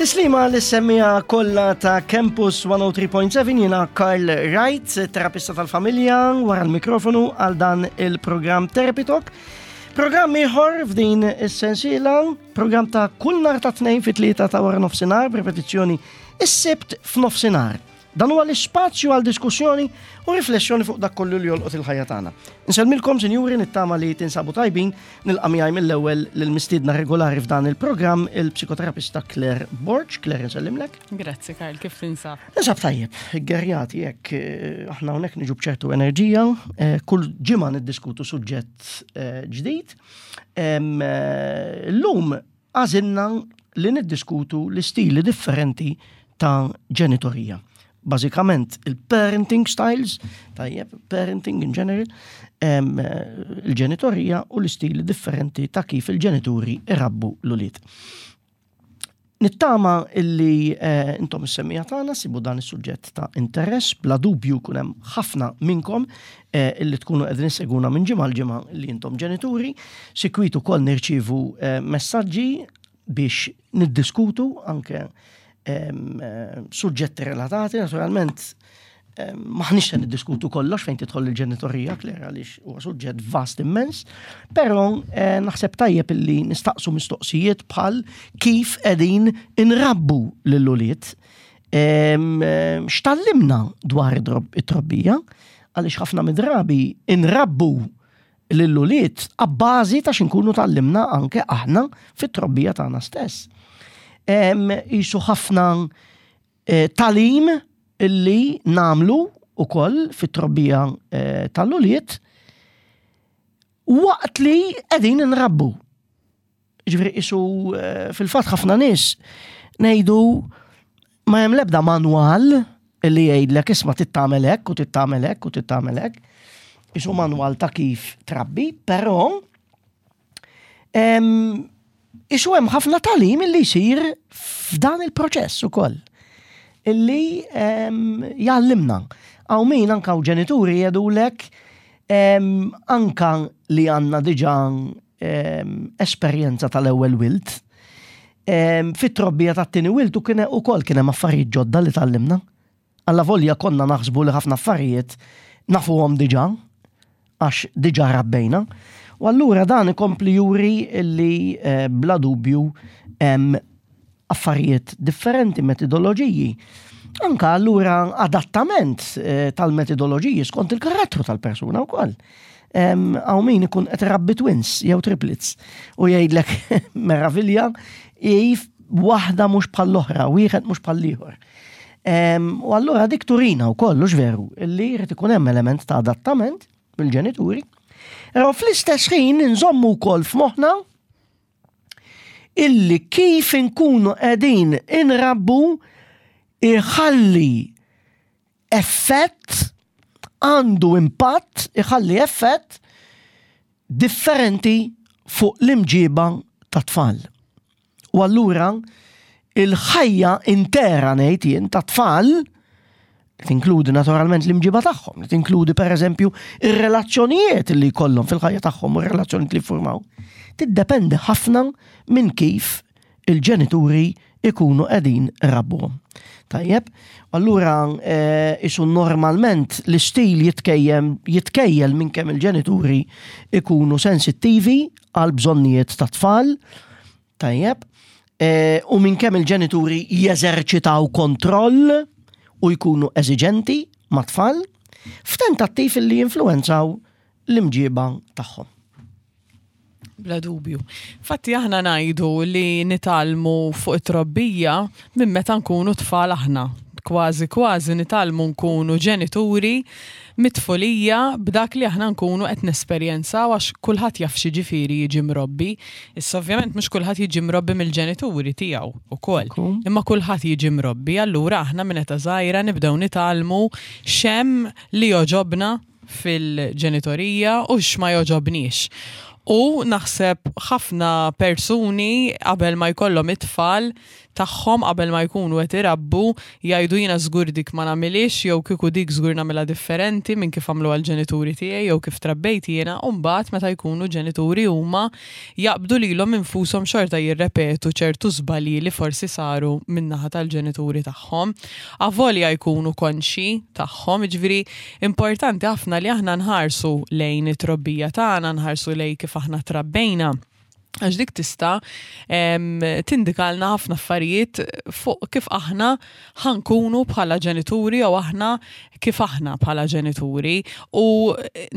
Tislima l-semmija kollha ta' Campus 103.7 jiena Karl Wright, terapista tal-familja, wara l-mikrofonu għal dan il-programm Therapy Talk. Programm ieħor f'din is-sensiela, programm ta' kull nhar ta' tnejn fit-tlieta ta' wara nofsinhar, b'ripetizzjoni is-Sibt f'nofsinhar. Dan huwa l-ispazju għal diskussjoni u riflessjoni fuq dak kollu li jolqot il-ħajja tagħna. Insellmilkom, sinjuri, nittama li tinsabu tajbin, nilqa' miegħi mill-ewwel lill-mistiedna regolari f'dan il-programm il-psikoterapista Claire Borg. Claire, insellimlek. Grazzi, Karl, kif tinsab? Ninsab tajjeb, gerjati jekk eh, aħna hawnhekk niġu b'ċertu enerġija, eh, kull ġimgħa niddiskutu suġġett eh, ġdid. Llum Għażilna li niddiskutu l-istili differenti ta' ġenitorija. Bażikament il-parenting styles, tajjeb, parenting in general, il-ġenitorija u l-istili differenti ta' kif il-ġenituri irabbu l-ulied. Nittama illi eh, intom is-semmija tagħna sibu dan is-suġġett ta' interess, bla dubju jkun hemm ħafna minnkom eh, illi tkunu qegħdin isseguna minn ġimgħa l-ġimgħa li intom ġenituri, sikwit ukoll nirċievu eh, messaġġi biex niddiskutu anke eh, suġġetti relatati, naturalment maħniex se niddiskutu kollox fejn tidħol il-ġenitorija, Claire, għaliex huwa suġġett vast immens, però naħseb tajjeb illi nistaqsu mistoqsijiet bħal kif qegħdin inrabbu lil ulied X'tallimna dwar it-trobbija? Għaliex ħafna mid-drabi inrabbu lill-ulied abbażi ta' x'inkunu tallimna anke aħna fit-trobbija tagħna stess. Isu ħafna eh, talim illi namlu ukoll fit-trobbija eh, tal-ulied waqt li qegħdin nrabbu. Ġifieri isu eh, fil-fatt ħafna nies ngħidu ma hemm l-ebda manwal li jgħidlek isma' tittamel hekk u tittamel hekk u tittamel hekk. Isu manwal ta' kif trabbi, però isu hemm ħafna talim li jsir f'dan il-proċess ukoll illi jgħallimna. Għaw min anka u ġenituri jgħidulek anka li għandna diġà esperjenza tal-ewwel wild. Fit-trobbija tat-tieni wild u kien ukoll kien hemm affarijiet ġodda li tgħallimna. Alla volja konna naħsbu li ħafna affarijiet nafuhom diġà, għax diġà rabbejna. U allura dan ikompli juri li eh, bla dubju hemm affarijiet differenti, metodoloġiji. Anka allura adattament eh, tal-metodoloġiji skont il-karattru tal-persuna wkoll. Għaw min ikun qed rabbi twins jew triplets u jgħidlek meravilja jif waħda mhux bħall-oħra, wieħed mhux bħall-ieħor. U allura dik turina wkoll hux veru illi jrid ikun hemm element ta' adattament mill-ġenituri. Però fl-istess ħin nżommu wkoll f'moħħna illi kif inkunu qegħdin inrabbu iħalli effett għandu impatt iħalli effett differenti fuq l-imġiba ta' tfal. U allura il-ħajja intera ngħid jien ta' tfal li tinkludi naturalment l-imġiba tagħhom, li tinkludi pereżempju ir-relazzjonijiet li jkollhom fil-ħajja tagħhom u r-relazzjonijiet li jiffurmaw, tiddependi ħafna minn kif il-ġenituri ikunu qegħdin rabbuhom. Tajjeb, allura eh, isu normalment l-istil jitkejjem jitkejjel minn kemm il-ġenituri ikunu sensittivi għal bżonnijiet ta' tfal, Tajjeb. E, u minn kemm il-ġenituri jeżerċitaw kontroll u jkunu eżiġenti ma' tfal f'tentattiv li jinfluwenzaw l-imġiba tagħhom. Bla dubju. Fatti aħna ngħidu li nitgħallmu fuq it-trobbija minn meta nkunu tfal aħna. Kważi kważi nitgħallmu nkunu ġenituri mit-tfulija b'dak li aħna nkunu qed nesperjenzaw għax kulħadd jaf x'jiġifieri jiġi mrobbi. Issa ovvjament mhux kulħadd jiġi mrobbi mill-ġenituri tiegħu ukoll. Imma kulħadd jiġi mrobbi, allura aħna minn età żgħira nibdew nitgħallmu x'hemm li jogħġobna fil-ġenitorija u x'ma jogħġobniex. U naħseb ħafna persuni qabel ma jkollhom it-tfal. tagħhom qabel ma jkunu qed irabbu jgħidu jiena żgur dik ma nagħmilhiex jew kieku dik żgur nagħmilha differenti minn kif għamluha l-ġenituri tiegħi jew kif trabbejt jiena u mbagħad meta jkunu ġenituri huma jaqbdu lilhom infushom xorta jirrepetu ċertu żbalji li forsi saru min-naħa tal-ġenituri tagħhom avolja jkunu konxji tagħhom jiġifieri importanti ħafna li aħna nħarsu lejn it-trobbija tagħna nħarsu lejn kif aħna trabbejna għax dik tista' tindikalna ħafna affarijiet fuq kif aħna ħankunu bħala ġenituri jew aħna kif aħna bħala ġenituri u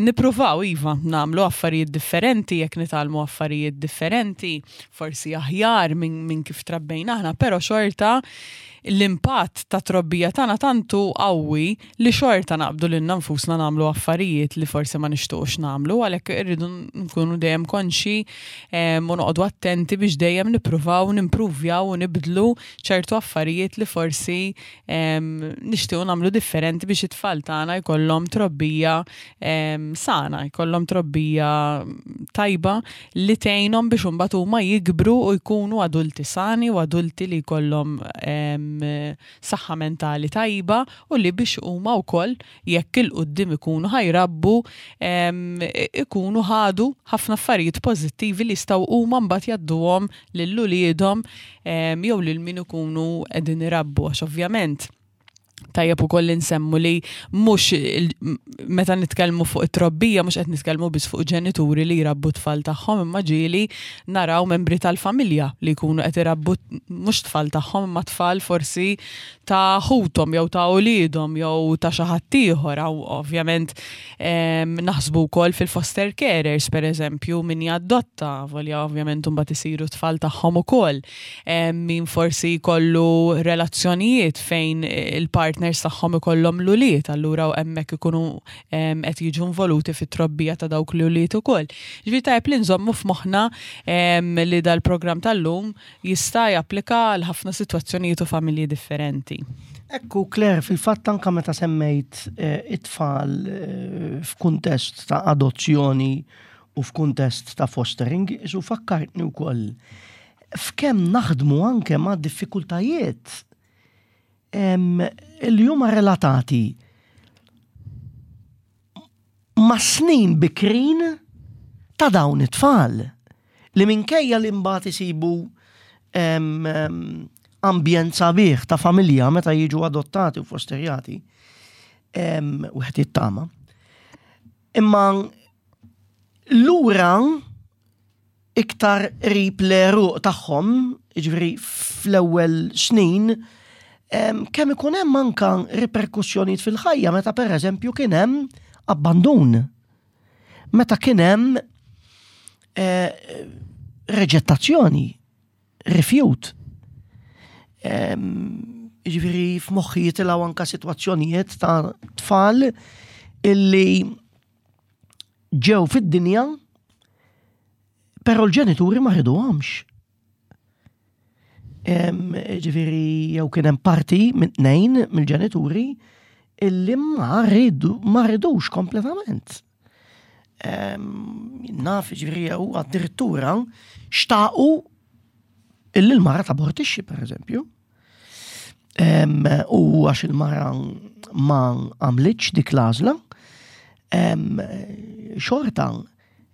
nippruvaw iva nagħmlu affarijiet differenti jekk nitgħallmu affarijiet differenti, forsi aħjar minn min kif trabbejna aħna, però xorta l-impatt ta' trobbija tagħna tant hu qawwi li xorta naqbdu lilna nfusna nagħmlu affarijiet li forsi ma nixtuqx nagħmlu, għalhekk irridu nkunu dejjem konxi u noqogħdu attenti biex dejjem nippruvaw nimpruvjaw u nibdlu ċertu affarijiet li forsi nixtiequ nagħmlu differenti biex it-tfal tagħna jkollhom trobbija sana, jkollhom trobbija tajba li tgħinhom biex imbagħad huma jikbru u jkunu adulti sani u adulti li jkollhom saħħa mentali tajba u li biex huma wkoll jekk 'il quddiem ikunu ħa jrabbu ikunu ħadu ħafna affarijiet pożittivi li jistgħu huma mbagħad jgħadduhom lil uliedhom jew lil min ikunu qegħdin irabbu għax ovvjament tajjeb ukoll li nsemmu li mhux meta nitkellmu fuq it-trobbija mhux qed nitkellmu biss fuq ġenituri li jrabbu tfal tagħhom imma ġieli naraw membri tal-familja li jkunu qed irabbu mhux tfal tagħhom imma tfal forsi ta' ħuthom jew ta' uliedhom jew ta' xi ħadd ieħor ovvjament naħsbu wkoll fil-foster carers pereżempju min jaddotta volja ovvjament imbagħad isiru tfal tagħhom ukoll. Min forsi jkollu relazzjonijiet fejn il-partners tagħhom ikollhom l-ulied, allura hemmhekk ikunu qed jiġu involuti fit-trobbija ta' dawk l-ulied ukoll. Ġifieri tajjeb li nżommu f'moħħna li dal-programm tal-lum jista' japplika għal ħafna sitwazzjonijiet u familji differenti. Ekku, Claire, fil-fatt anka meta semmejt eh, it-tfal eh, f'kuntest ta' adozzjoni u f'kuntest ta' fostering, isu fakkartni wkoll f'kemm naħdmu anke ma' diffikultajiet li huma relatati ma' snin bikrin ta' dawn it-tfal li minkejja li mbagħad isibu ambjent sabiħ ta' familja meta jiġu adottati u fosterjati, wieħed jittama. Imma lura iktar qrib l-għeruq tagħhom, jiġifieri fl-ewwel snin, kemm ikun hemm anka riperkussjonijiet fil-ħajja meta pereżempju kien hemm abbandun. Meta kien hemm eh, reġettazzjoni, rifjut. Jiġifieri f'moħħi jitilgħu anka sitwazzjonijiet ta' tfal illi ġew fid-dinja, però l-ġenituri ma riduhomx. Ġifieri jew kien hemm parti minn tnejn mill-ġenituri illi ma ridu ma ridux kompletament. Naf ġifieri jew addirittura xtaqu illi l-mara tabortixxi pereżempju. U għax il-mara ma għamlitx dik l-għażla, xorta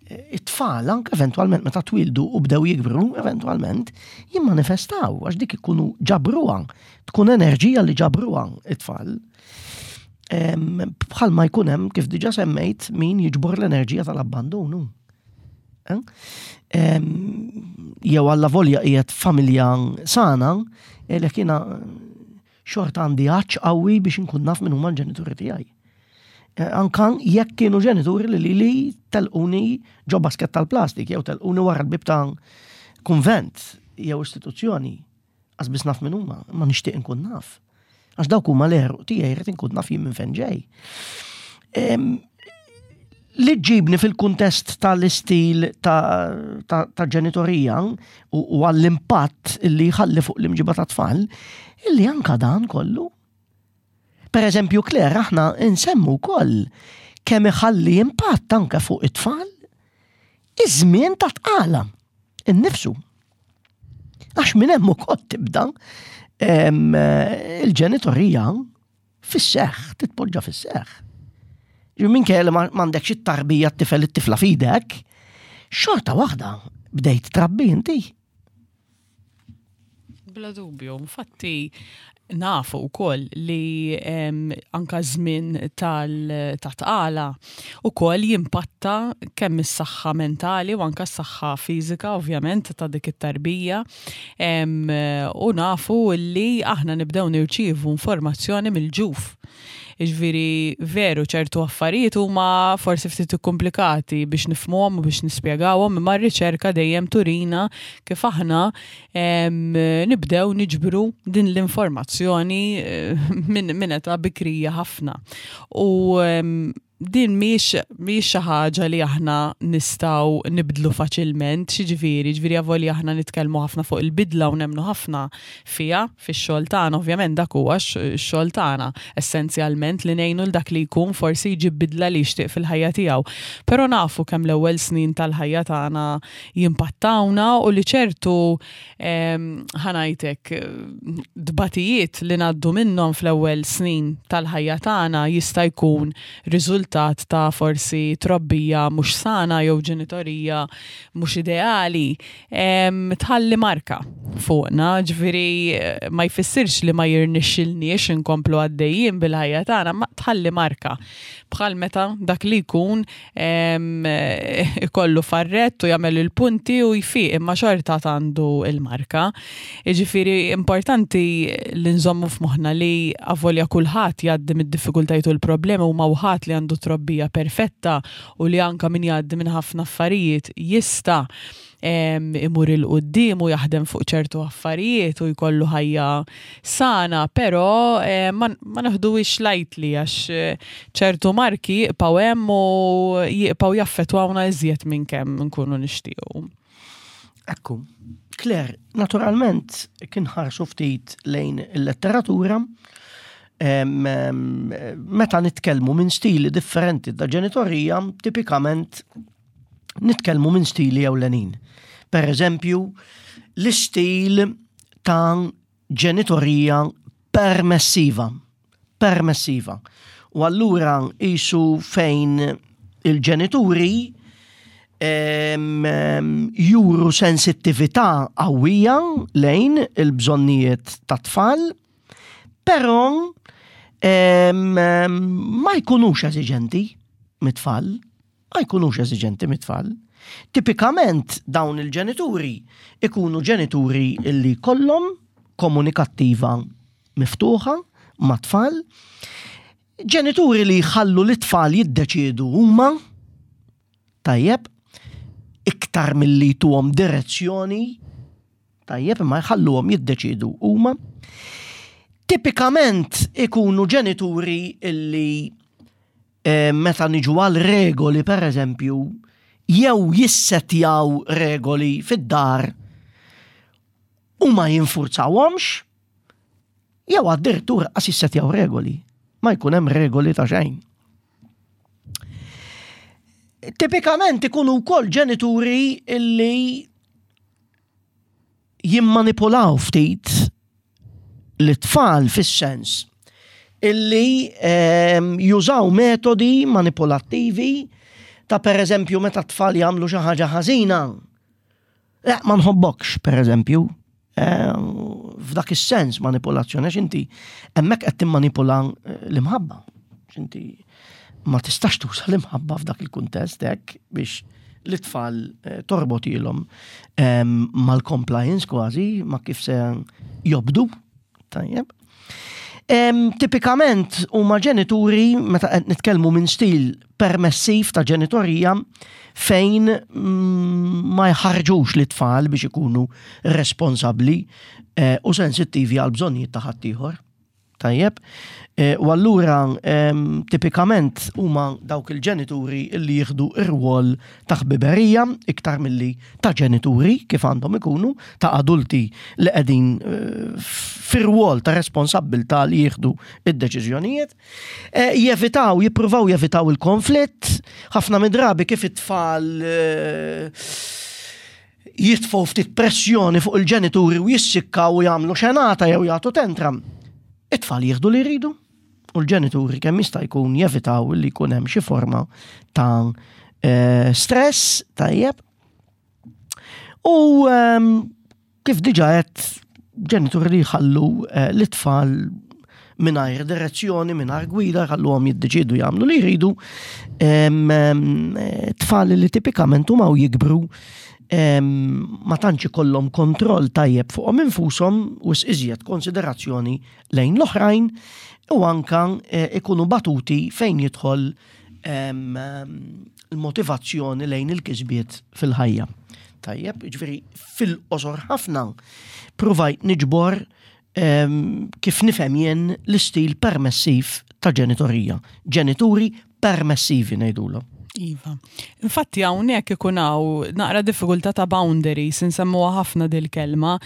it-tfal anke eventwalment meta twildu u bdew jikbru, eventwalment jimmanifestaw għax dik ikunu ġabruha, tkun enerġija li ġabruha it-tfal. Bħalma jkun hemm kif diġà semmejt min jiġbor l-enerġija tal-abbandonu. Eh? Jew alla volja qiegħed familja sana, għalhekk jiena xorta għandi għatx qawwi biex inkun naf min huma l-ġenituri tiegħi. Eh, anka jekk kienu ġenituri li li telquni ġo basket tal-plastik jew telquni wara l-bib ta' kunvent jew istituzzjoni. Qas biss naf min huma, imma nixtieq inkun naf. Għax dawk huma l-għeruq tiegħi rrid inkun naf jien minn fejn ġej. Li ġibni fil-kuntest tal-istil ta', ta, ta ġenitorija u, u għall-impatt li jħalli fuq l-imġiba ta' tfal, illi anka dan kollu. Per eżempju, Claire, aħna nsemmu wkoll kemm iħalli impatt anke fuq it-tfal iż-żmien ta' tqala innifsu. Għax minn hemm ukoll tibda il-ġenitorija fis-seħħ, titpoġġa fis-seħħ. Minn kelli m'għandekx it-tarbija t-tifel it-tifla f'idek, xorta waħda bdejt trabbi inti. Bla dubju, infatti nafu wkoll li anka żmien tal-tqala ukoll jimpatta kemm is-saħħa mentali u anka s-saħħa fiżika ovvjament ta' dik it-tarbija u nafu li aħna nibdew nirċievu informazzjoni mill-ġuf. Jiġifieri veru ċertu affarijiet huma forsi ftit ikkumplikati biex nifhmuhom u biex nispjegawhom, imma r-riċerka dejjem turina kif aħna nibdew niġbru din l-informazzjoni eh, minn età bikrija ħafna. U din mhix mhix xi ħaġa li aħna nistgħu nibdlu faċilment, xiġifieri, ġifieri avolja aħna nitkellmu ħafna fuq il-bidla u nemmnu ħafna fiha fix-xogħol tagħna, ovvjament dak huwa x-xogħol tagħna essenzjalment li ngħinu 'l dak li jkun forsi jġib bidla li jixtieq fil-ħajja tiegħu. Però nafu kemm l-ewwel snin tal-ħajja tagħna jimpattawna u li ċertu ħa ngħid hekk, tbatijiet li ngħaddu minnhom fl-ewwel snin tal-ħajja tagħna jista' jkun riżultat ta' forsi trobbija mhux sana jew ġenitorija mhux ideali, tħalli marka fuqna, ġifieri ma jfissirx li ma jirnexxilniex inkomplu għaddejjin bil-ħajja tagħna, ma tħalli marka. Bħal meta dak li jkun ikollu farrett u jagħmel il-punti u jfiq imma xorta għandu il-marka. Jiġifieri importanti li nżommu f'moħħna li avolja kulħadd jgħaddi mid-diffikultajiet u l-problemi u ma ħadd li għandu trobbija perfetta u li anka min jgħaddi minn ħafna affarijiet jista' imur 'il quddiem u jaħdem fuq ċertu affarijiet u jkollu ħajja sana, però ma neħduhiex lightly għax ċertu marki jibqgħu hemm u jibqgħu jaffettwawna iżjed minn kemm nkunu nixtiequ. Ekku. Claire, naturalment kien ħarsu ftit lejn il-letteratura, meta nitkellmu minn stili differenti ta' ġenitorija, tipikament nitkellmu minn stili ewlenin. Per eżempju, l-istil ta' ġenitorija permessiva. Permessiva. U allura isu fejn il-ġenituri juru sensittività qawwija lejn il-bżonnijiet ta' tfal, però ma jkunux eżiġenti mit-tfal. ma jkunux eżiġenti mit-tfal. Tipikament dawn il-ġenituri ikunu ġenituri li kollhom komunikattiva miftuħa mat-tfal, ġenituri li jħallu lit-tfal jiddeċiedu huma, tajjeb, iktar milli jtuhom direzzjoni, tajjeb, imma jħalluhom jiddeċiedu huma. Tipikament ikunu ġenituri illi Eh, meta niġu għal regoli per eżempju, jew jissetjaw regoli fid-dar u ma jinfurzawhomx, jew addirittura qas jissetjaw regoli. Ma jkun hemm regoli ta' xejn. Tipikament ikunu wkoll ġenituri illi jimmanipulaw ftit l-tfal fis-sens illi ehm, jużaw metodi manipulattivi ta' per eżempju meta t-tfal jagħmlu xi ħaġa ħażina. Eh, ma nħobbokx, per eżempju, ehm, f'dak is-sens manipulazzjoni għax inti hemmhekk qed timmanipula eh, l-imħabba. Inti ma tistax tuża l-imħabba f'dak il-kuntest hekk biex l-tfal eh, torbotilhom ehm, mal-compliance kważi, ma kif se jobdu. Tajjeb. Ehm, tipikament huma ġenituri meta qed nitkellmu minn stil permessiv ta' ġenitorija fejn mm, ma jħarġux li tfal biex ikunu responsabbli eh, u sensittivi għal bżonnijiet ta' ħaddieħor. Tajjeb. E, u allura tipikament huma dawk il-ġenituri li jieħdu ir-rwol ta' ħbiberija iktar milli ta' ġenituri kif għandhom ikunu ta' adulti li qegħdin e, fir-rwol ta' responsabbiltà li jieħdu id-deċiżjonijiet. E, jevitaw, jippruvaw jevitaw il-konflitt, ħafna mid-drabi kif it-tfal. jitfgħu ftit pressjoni fuq il-ġenituri u jissikkaw u jagħmlu xenata jew jagħtu tantrum. It-tfal jieħdu li jridu u l-ġenituri kemm jista' jkun jevitaw li jkun hemm xi forma ta' eh, stress tajjeb. U ehm, kif diġa qed ġenituri li jħallu eh, l-tfal mingħajr direzzjoni, mingħajr gwida, jħalluhom jiddeċidu jagħmlu li jridu, ehm, ehm, tfal li tipikament huma u jikbru ma tantx ikollhom kontroll tajjeb fuqhom infushom u iżjed konsiderazzjoni lejn l-oħrajn u anka eh, ikunu batuti fejn jidħol il-motivazzjoni lejn il-kisbiet fil-ħajja. Tajjeb, ġifieri fil-qosor ħafna provajt niġbor kif nifhem jien l-istil permessiv ta' ġenitorija. Ġenituri permessivi ngħidulhom. Iva. Infatti hawnhekk ikun hawn naqra diffikultà ta' boundaries, insemmuha ħafna dil-kelma.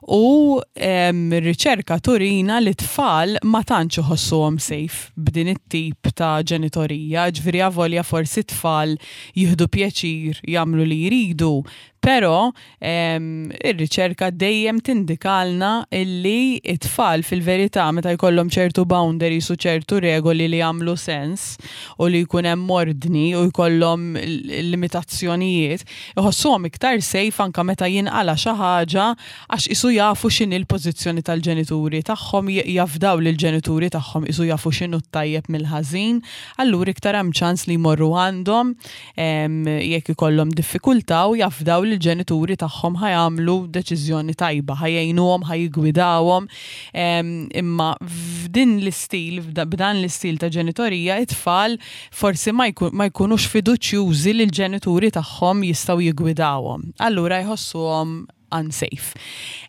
U r-riċerka turina li tfal ma tantx iħossuhom safe b'din it-tip ta' ġenitorija, ġifieri avolja forsi tfal jieħdu pjaċir jagħmlu li jridu, però ir-riċerka dejjem tindikalna illi it-tfal fil-verità meta jkollhom ċertu boundaries u ċertu regoli li jagħmlu sens u li jkun hemm ordni u jkollhom limitazzjonijiet, iħossuhom iktar safe anka meta jinqala xi ħaġa għax isu jafu x'inhi l-pożizzjoni tal-ġenituri tagħhom, jafdaw lill-ġenituri tagħhom isu jafu x'inhu t-tajjeb mill-ħażin, allura iktar hemm ċans li jmorru għandhom jekk ikollhom diffikultà u jafdaw li l-ġenituri tagħhom ħa jagħmlu deċiżjoni tajba, ħa jgħinuhom, ħa jiggwidawhom. Imma f'din l-istil, b'dan l-istil ta' ġenitorija, it-tfal forsi ma jkunux fiduċjużi li l-ġenituri tagħhom jistgħu jiggwidawhom. Allura jħossuhom unsafe.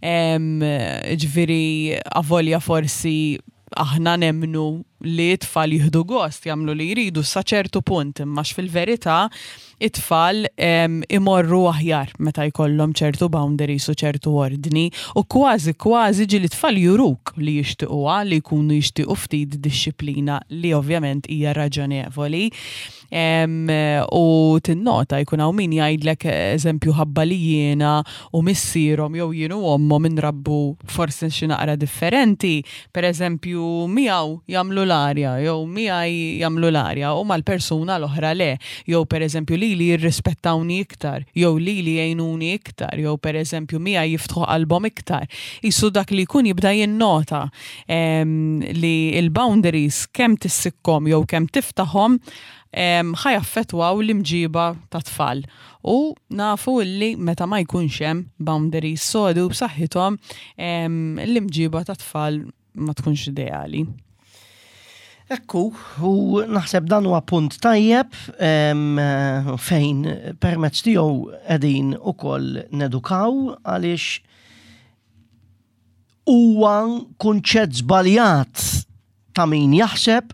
Ġifieri avolja forsi aħna nemmnu li t-tfal jieħdu gost jagħmlu li jridu sa ċertu punt, imma fil-verità it-tfal imorru aħjar meta jkollhom ċertu boundaries u ċertu ordni u kważi kważi ġieli tfal juruk li jixtiquha li jkunu jixtiequ ftit dixxiplina li ovvjament hija raġonevoli. U tinnota jkun hawn min jgħidlek eżempju ħabba li jiena u missierhom jew jien u ommhom inrabbu forsi xi naqra differenti, per eżempju miegħu jagħmlu l-arja jew miegħi jagħmlu l-arja u mal-persuna l-oħra le, jew per eżempju lili jirrispettawni iktar, jew lili jgħinuni iktar, jew per eżempju miegħi jiftħu qalbhom iktar. Isu dak li jkun jibda jinnota li l-boundaries kemm tissikkom jew kemm tiftaħhom ħa jaffettwaw l-imġiba ta' tfal. U nafu illi meta ma jkunx hemm boundaries sodi u b'saħħithom l-imġiba ta' tfal ma tkunx ideali. Ekku, u naħseb dan huwa punt tajjeb fejn permezz tiegħu qegħdin ukoll nedukaw għaliex huwa kunċett żbaljat ta' min jaħseb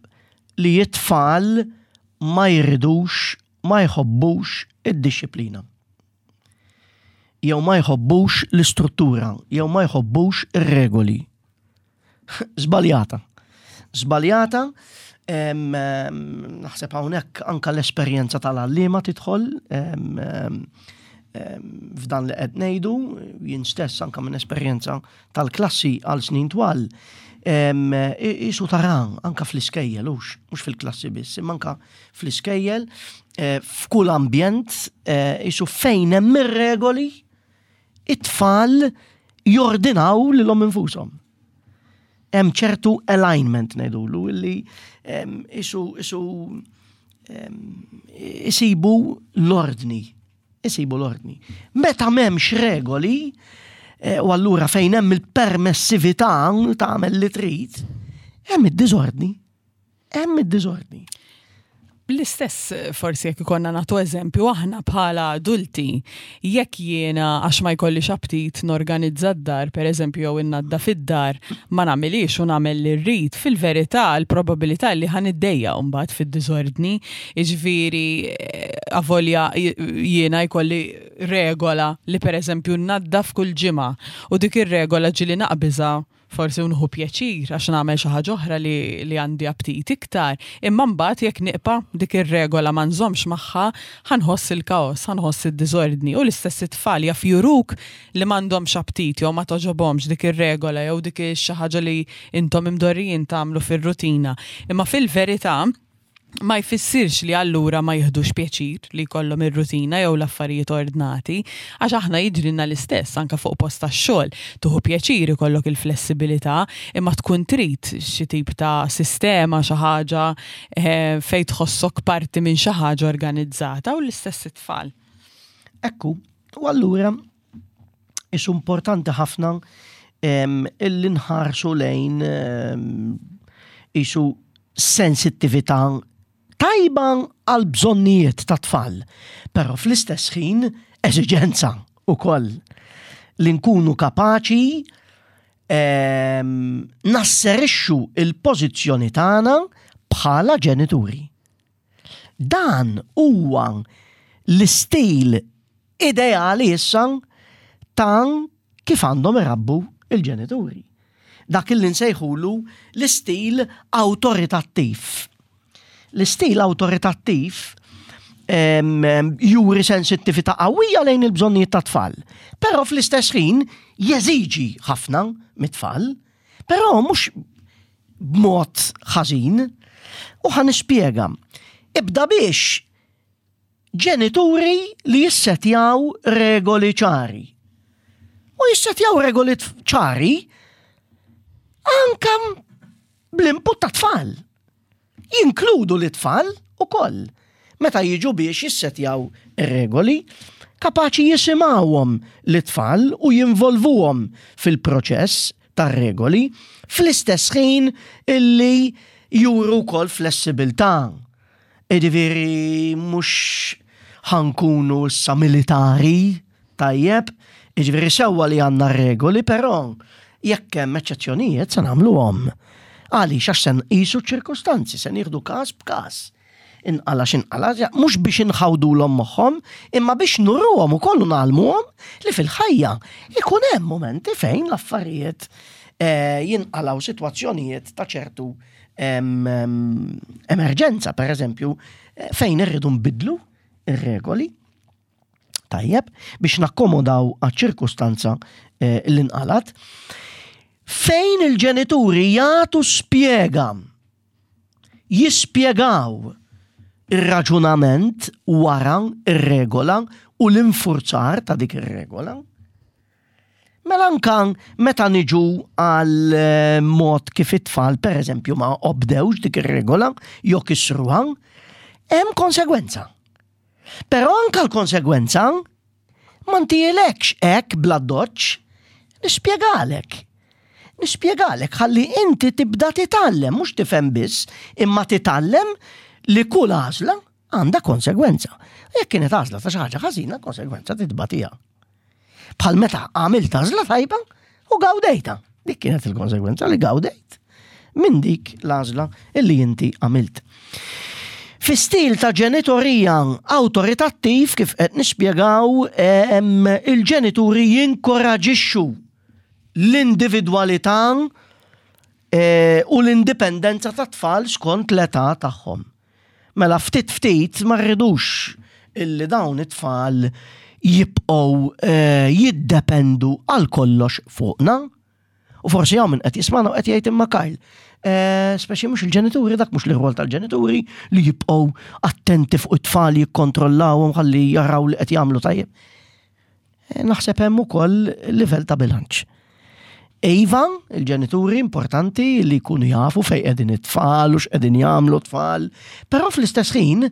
li t-tfal ma jridux, ma jħobbux id-dixxiplina. Jew ma jħobbux l-istruttura, jew ma jħobbux ir-regoli. Żbaljata. Żbaljata, naħseb hawnhekk anka l-esperjenza tal-għalliema tidħol f'dan li qed ngħidu, jien stess anka minn esperjenza tal-klassi għal snin twal, isu tara anka fl-iskejjel, hux, mhux fil-klassi biss, imma anka fl-iskejjel, eh, f'kull ambjent, eh, isu fejn hemm ir-regoli, it-tfal jordinaw lilhom infushom. Hemm ċertu alignment ngħidulu illi isu isu isibu l-ordni. Isibu l-ordni. Meta m'hemmx regoli, eh, u allura fejn hemm il-permessività tagħmel li trid, hemm id-diżordni. Hemm id-diżordni. L-istess forsi jekk ikonna nagħtu eżempju aħna bħala adulti, jekk jiena għax ma jkollix aptit norganizza d-dar, per eżempju jew innaddaf id-dar, ma nagħmilix u nagħmel li rrid, fil-verità l-probabilità li ħa niddejjaq mbagħad fid-diżordni, jiġifieri avolja jiena jkolli regola li per eżempju nnaddaf kull ġimgħa u dik ir-regola ġieli naqbiżha. Forsi u nieħu pjaċir għax nagħmel xi ħaġa oħra li, li għandi aptit iktar, imma mbagħad jekk nibqa' dik ir-regola ma nżommx magħha, ħa nħoss il-kaos, ħa nħoss id-diżordni u l-istess it-tfal jaf juruk li m'għandhomx aptit jew ma togħġobhomx dik ir-regola jew dik xi ħaġa li intom imdorrijin tagħmlu fir-rutina. Imma fil-verità ma jfissirx li allura ma jiħdux pjaċir li jkollhom ir-rutina jew l-affarijiet ordnati, għax aħna jiġrilna l-istess anke fuq post tax-xogħol. Tieħu pjaċir ikollok il-flessibilità, imma tkun trid xi tip ta' sistema, xi ħaġa eh, fejn tħossok parti minn xi ħaġa organizzata u l-istess it-tfal. Ekku, u allura isu importanti ħafna illi nħarsu lejn isu sensittività tajba għal bżonnijiet ta' tfal, però fl-istess ħin eżiġenza ukoll li nkunu kapaċi nasserixxu il-pożizzjoni tagħna bħala ġenituri. Dan huwa l-istil ideali issa ta' kif għandhom irabbu il-ġenituri. Dak li nsejħulu l-istil awtoritattiv. L-istil awtoritattiv juri sensittività qawwija lejn il-bżonnijiet ta' tfal, però fl-istess ħin jeżiġi ħafna mit-tfal, però mhux b'mod ħażin. U ħa nispjega. Ibda biex ġenituri li jissetjaw regoli ċari. U jissetjaw regoli ċari anka bl-input ta' tfal. Jinkludu li tfal u koll. Meta jiġu biex jissetjaw regoli, kapaċi jisimawhom l-tfal u jinvolvuhom fil-proċess tar-regoli, fl-istess ħin illi juru wkoll flessibilità. Jiġifieri mhux ħa nkunu issa militari, tajjeb, jiġifieri sewwa li għandna regoli, però jekk hemm eċċezzjonijiet se nagħmluhom. Għaliex għax se nqisu ċ-ċirkustanzi, se nieħdu każ b'każ. Inqala x'inqala, mhux biex inħawdulhom moħħhom, imma biex nuruhom ukoll u ngħallmuhom li fil-ħajja ikun hemm mumenti fejn l-affarijiet eh, jinqalgħu sitwazzjonijiet ta' ċertu emerġenza, per eżempju, eh, fejn irridu nbidlu ir-regoli. Tajjeb, biex nakkomodaw għaċ-ċirkustanza eh, li nqalat. Fejn il-ġenituri jagħtu spjega, jispjegaw ir-raġunament wara ir-regola u l-infurzar ta' dik ir-regola. Mela anka meta niġu għal eh, mod kif it-tfal pereżempju ma obdewx dik ir-regola jew kisruha, hemm konsegwenza. Però anka l-konsegwenza ma ntielekx hekk bla doċċ, nispjegalek. Nispjegalek ħalli inti tibda titgħallem, mhux tifhem biss, imma titgħallem li kull għażla għandha konsegwenza. Jekk kienet għażla ta' xi ħaġa ħażina, konsegwenza titbatija. Bħal meta għamilt għażla tajba u gawdejta. Dik kienet il-konsegwenza li gawdejt minn dik l-għażla illi inti għamilt. Fi stil ta' ġenitorija awtoritattiv kif qed nispjegaw il-ġenituri jinkoraġixxu l-individwalità eh, u l-indipendenza ta' tfal skont l-età tagħhom. Mela ftit ftit ma rridux illi dawn it-tfal jibqgħu eh, jiddependu għal kollox fuqna. U forsi hawn min qed jismana u qed jgħid imma Kyle, eh, speċi mhux il-ġenituri, dak mhux l-irwol tal-ġenituri li jibqgħu attenti fuq it-tfal jikkontrollawhom ħalli jaraw li qed jagħmlu tajjeb. Eh, naħseb hemm ukoll livell ta' bilanċ. Iva, il-ġenituri importanti li jkunu jafu fejn qegħdin it-tfal u x'qegħdin jagħmlu t-tfal, però fl-istess ħin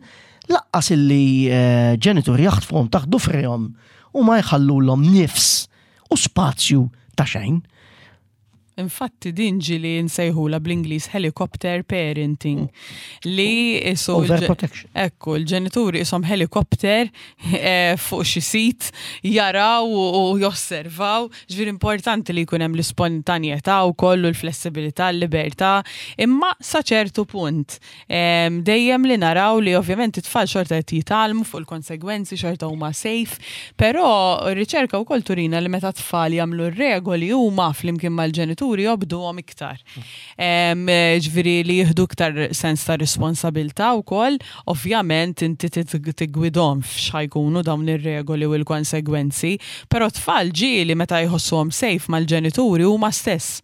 laqqas illi eh, ġenituri jaħtfuhom taħt dufrihom u ma jħallulhom nifs u spazju ta' xejn. Infatti din ġili nsejħula bl-Ingliż helicopter parenting li isu Overprotection. Ekku, l-ġenituri isom helikopter eh, fuq xi sit jaraw u josservaw. Ġifieri importanti li jkun hemm l-ispontanjetà wkoll u l-flessibilità, l-libertà, imma sa ċertu punt. Dejjem li naraw li ovvjament it-tfal xorta qed jitgħallmu fuq il-konsegwenzi, xorta huma safe, però r-riċerka wkoll turina li meta tfal jagħmlu r-regoli huma flimkien mal-ġenituri il-ġenituri jobduhom iktar. Ġifieri li jieħdu iktar sens ta' responsabilità wkoll, ovvjament inti tiggwidhom f'x'ħa jkunu dawn ir-regoli u l-konsegwenzi, però tfal ġieli meta jħossuhom safe mal-ġenituri huma stess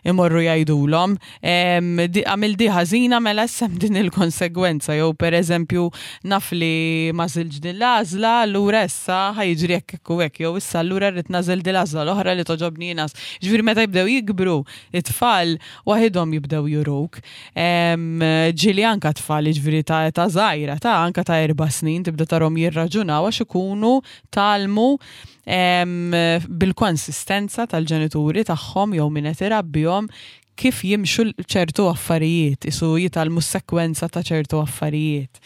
imorru jgħidulhom għamil di ħażina mela issa hemm din il-konsegwenza jew pereżempju naf li m'għażiltx din l-għażla allura issa ħa jiġri hekk hekk u hekk jew issa allura rrid nagħżel din l-għażla l-oħra li togħġobni jiena. Ġifieri meta jibdew jikbru it-tfal waħidhom jibdew juruk. Ġieli anka tfal jiġifieri ta' età żgħira ta' anka ta' erba' snin tibda tarhom jirraġunaw għax ikunu tgħallmu bil-konsistenza tal-ġenituri tagħhom jew min qed irabbihom kif jimxu ċertu affarijiet, isu jitgħallmu s-sekwenza ta' ċertu affarijiet.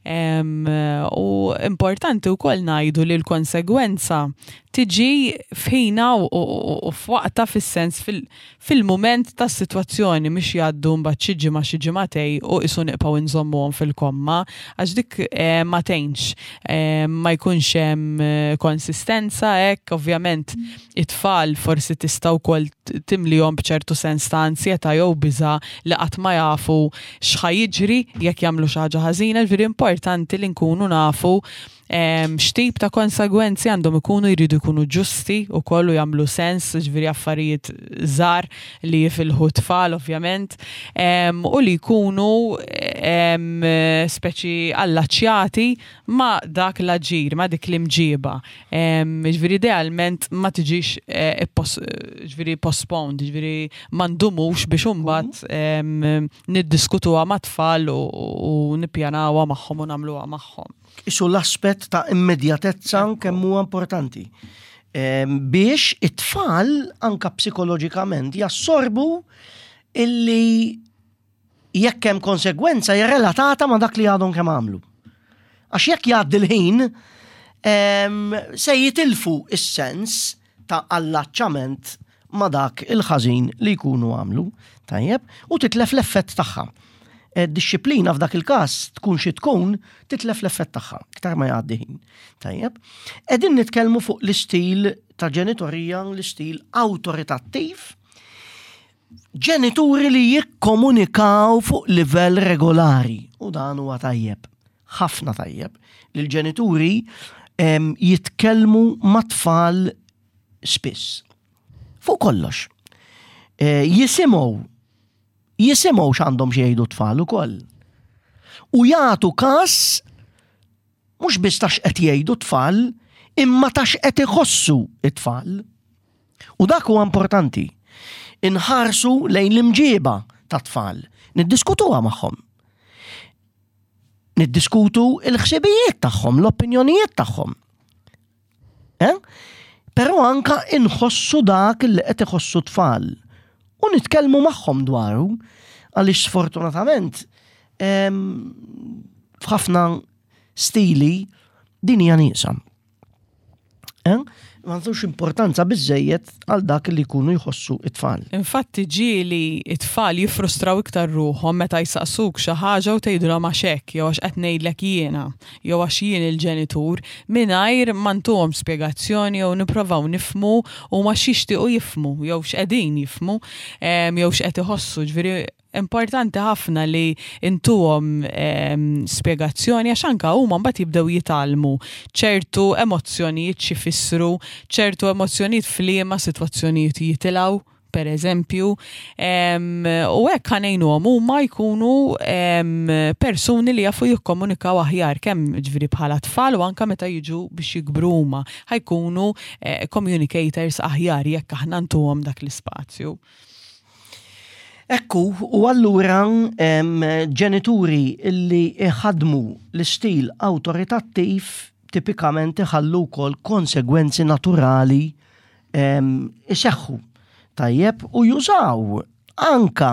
U importanti wkoll ngħidu li l-konsegwenza tiġi f'ħina u f'waqta fis-sens fil-mument tas-sitwazzjoni mhix jgħaddu mbagħad xi ġimgħa xi ġimagħtej u qisu nibqgħu nżommuhom fil-komma għax dik eh, ma tgħinx eh, ma jkunx hemm eh, konsistenza hekk ovvjament it-tfal forsi tista' wkoll timlihom b'ċertu sens ta' ansjetà jew biża' li qatt ma jafu x'ħa jiġri jekk jagħmlu xi ħaġa ħażina, ġifieri importanti li nkunu nafu x'tip ta' konsegwenzi għandhom ikunu jridu jkunu ġusti u kollu jagħmlu sens, ġifieri affarijiet żgħar li jifilħu tfal ovvjament, u li jkunu speċi allaċjati ma' dak l-aġir, ma' dik l-imġiba. Ġifieri idealment ma tiġix eh, ġifieri postponed, ġifieri ma ndumux biex imbagħad niddiskutuha mat-tfal u nippjanawha magħhom u nagħmluha magħhom. Isu l-aspett ta' immedjatezza kemm huwa importanti. Biex it-tfal anka psikoloġikament jassorbu illi jekk hemm konsegwenza hija relatata ma' dak li għadhom kemm għamlu. Għax jekk jgħaddi l-ħin, se jitilfu is-sens ta' allaċċament ma' dak il-ħażin li jkunu għamlu, tajjeb, u titlef l-effett tagħha. E, dixxiplina f'dak il-każ tkun xi tkun titlef l-effett tagħha, iktar ma jgħaddi ħin. Tajjeb. Qegħdin nitkellmu fuq l-istil ta' ġenitorija, l-istil awtoritattiv, ġenituri li jikkomunikaw fuq livell regolari u dan huwa tajjeb, ħafna tajjeb, li l-ġenituri jitkellmu mat-tfal spiss. Fuq kollox. E, jisimgħu jisimgħu x'għandhom xi jgħidu tfal ukoll. U jagħtu każ mhux biss ta' x'qed jgħidu tfal, imma ta' x'qed iħossu it-tfal. U dak huwa importanti. Inħarsu lejn l-imġiba ta' tfal, niddiskutuha magħhom. Niddiskutu il-ħsibijiet tagħhom, l-opinjonijiet tagħhom. Eh? Però anka inħossu dak li qed iħossu tfal u nitkellmu magħhom dwaru għaliex sfortunatament f'ħafna stili din hija nieqsa. Eh? Ma nagħtux importanza biżejjed għal dak li jkunu jħossu it-tfal. Infatti ġieli it-tfal jiffrustraw iktar ruħhom meta jsaqsuk xi ħaġa u tgħidulhom għax hekk jew għax qed ngħidlek jiena jew għax jien il-ġenitur mingħajr ma ntuhom spjegazzjoni jew nipprovaw nifhmu huma x'jixtiequ jifhmu jew x'qegħdin jifhmu jew x'qed iħossu. Ġifieri Importanti ħafna li intuhom spjegazzjoni għax anka huma mbagħad jibdew jitgħallmu ċertu emozzjonijiet x'ifissru, ċertu emozzjonijiet f'liema sitwazzjonijiet jitilgħu per eżempju, u hekk ħa ngħinuhom huma jkunu persuni li jafu jikkomunikaw aħjar kemm ġifieri bħala tfal u anka meta jiġu biex jikbru huma ħa jkunu eh, communicators aħjar jekk aħna ntuhom dak l-ispazju. Ekku, u allura ġenituri li iħadmu l-istil awtoritattiv tipikament iħallu wkoll konsegwenzi naturali iseħħu. Tajjeb, u jużaw anka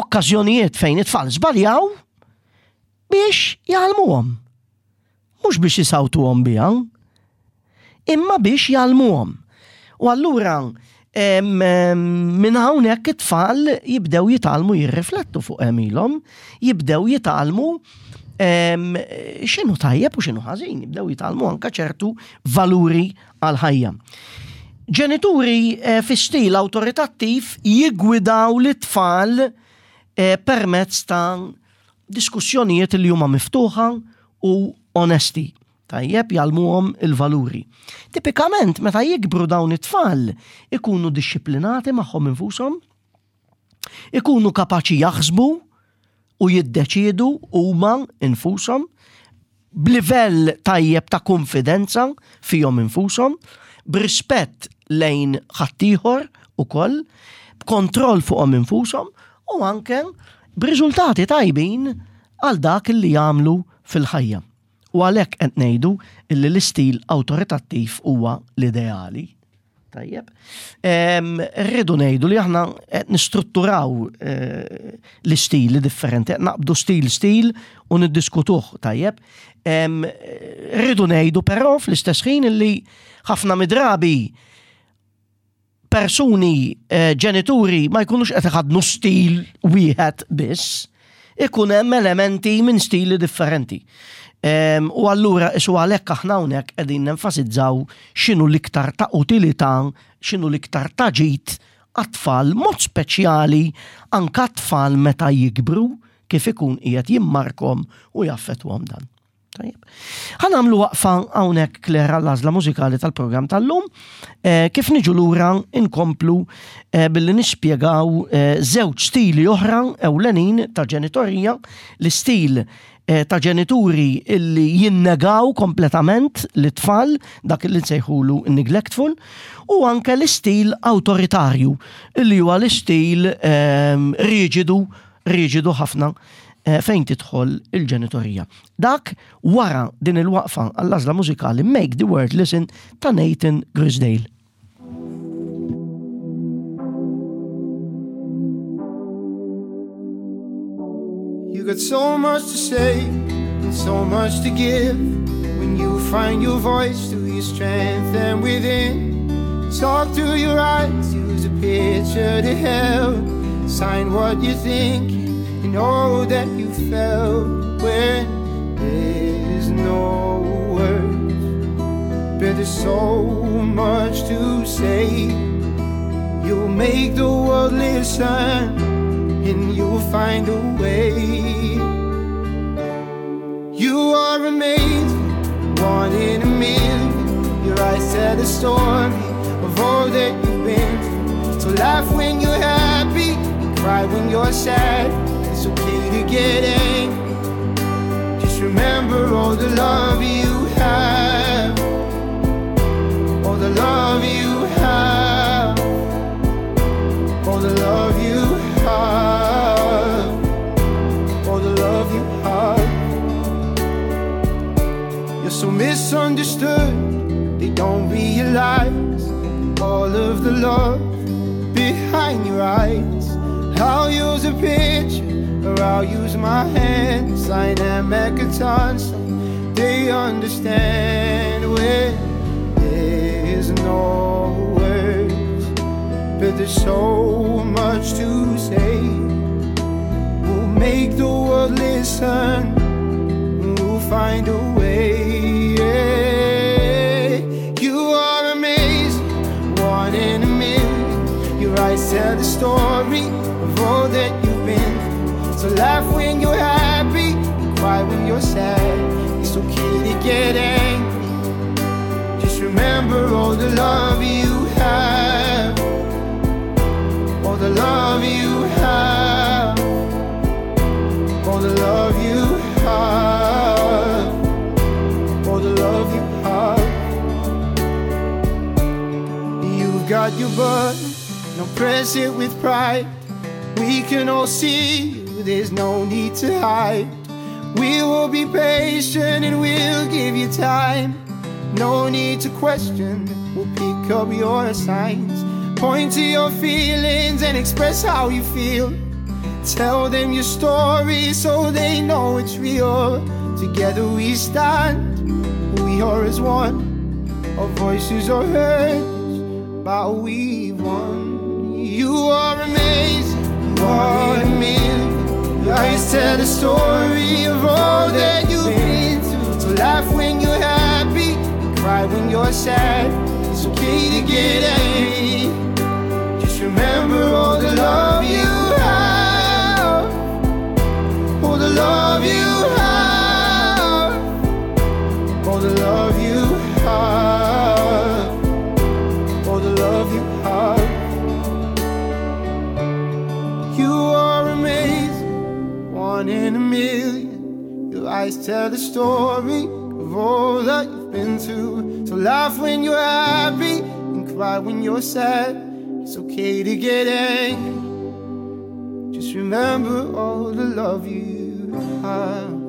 okkażjonijiet fejn it-tfal żbaljaw biex jgħallmuhom. Mhux biex isawtuhom biha, imma biex jgħallmuhom. U allura minn hawnhekk it-tfal jibdew jitgħallmu jirriflettu fuq għemilhom, jibdew jitgħallmu x'inhu tajjeb u x'inhu ħażin, jibdew jitgħallmu anke ċertu valuri għal ħajja. Ġenituri eh, fi stil awtoritattiv jiggwidaw lit-tfal eh, permezz ta' diskussjonijiet li huma miftuħa u onesti. Tajjeb jgħallmuhom il-valuri. Tipikament meta jikbru dawn it-tfal ikunu dixxiplinati magħhom infushom, ikunu kapaċi jaħsbu u jiddeċiedu huma infushom b'livell tajjeb ta' kunfidenza fihom infushom, b'rispett lejn ħaddieħor ukoll, b'kontroll fuqhom infushom u anke b'riżultati tajbin għal dak li jagħmlu fil-ħajja. U għalhekk qed ngħidu illi l-istil awtoritattiv huwa l-ideali. Tajjeb. Rridu ngħidu li aħna qed nistrutturaw eh, l-istili differenti, qed naqbdu stil stil u niddiskutuh, tajjeb. Rridu ngħidu però fl-istess ħin li ħafna midrabi persuni, eh, ġenituri ma jkunux qed iħadnu stil wieħed biss, ikun hemm elementi minn stili differenti. U allura isu għalhekk aħna hawnhekk qegħdin nenfasizzaw x'inhu l-iktar ta' utilità, x'inhu l-iktar ta' ġid għat-tfal, mod speċjali anke tfal meta jikbru kif ikun qiegħed jimmarkom u jaffettwahom dan. Tajjeb. Ħa nagħmlu waqfa hawnhekk Claire għall-għażla mużikali tal-programm tal-lum. Eh, kif niġu lura inkomplu eh, billi nispjegaw eh, żewġ stili oħra ewlenin ta' ġenitorija, l-istil ta' ġenituri illi jinnegaw kompletament l-tfal, dak li nsejħulu neglectful, u anke l-istil awtoritarju, illi huwa l-istil riġidu, riġidu ħafna Eh, fejn tidħol il-ġenitorija. Dak wara din il-waqfa għall-għażla mużikali Make the World Listen ta' Nathan Grisdale. You got so much to say and so much to give When you find your voice through your strength and within Talk to your eyes, use a picture to help Sign what you think and all that you felt When there's no words But there's so much to say You'll make the world listen And you'll find a way You are amazing, one in a million Your eyes tell the story of all that you've been through So laugh when you're happy, cry when you're sad It's okay to get angry Just remember all the love you have All the love you have All the love you have All the love you have You're so misunderstood They don't realize All of the love behind your eyes I'll use a picture or I'll use my hands Sign and Makaton so they understand when there's no words But there's so much to say We'll make the world listen We'll find a way yeah. You are amazing, one in a million Your eyes tell the story of all that you've been through So laugh when you're happy, cry when you're sad It's okay to get angry Just remember all the love you have All the love you have All the love you have All the love you have You've got your button, now press it with pride We can all see you, there's no need to hide We will be patient and we'll give you time No need to question, we'll pick up your signs Point to your feelings and express how you feel Tell them your story so they know it's real Together we stand, we are as one Our voices are heard, but we've won You are amazing, one in a million Your eyes tell the story of all that you've been through So laugh when you're happy, cry when you're sad It's okay. okay to get angry. Just remember all the love you have. All the love you have. All the love you have. All the love you have. You are amazing, one in a million. Your eyes tell the story of all that you've been through. So laugh when you're happy and cry when you're sad. It's okay to get angry. Just remember all the love you have.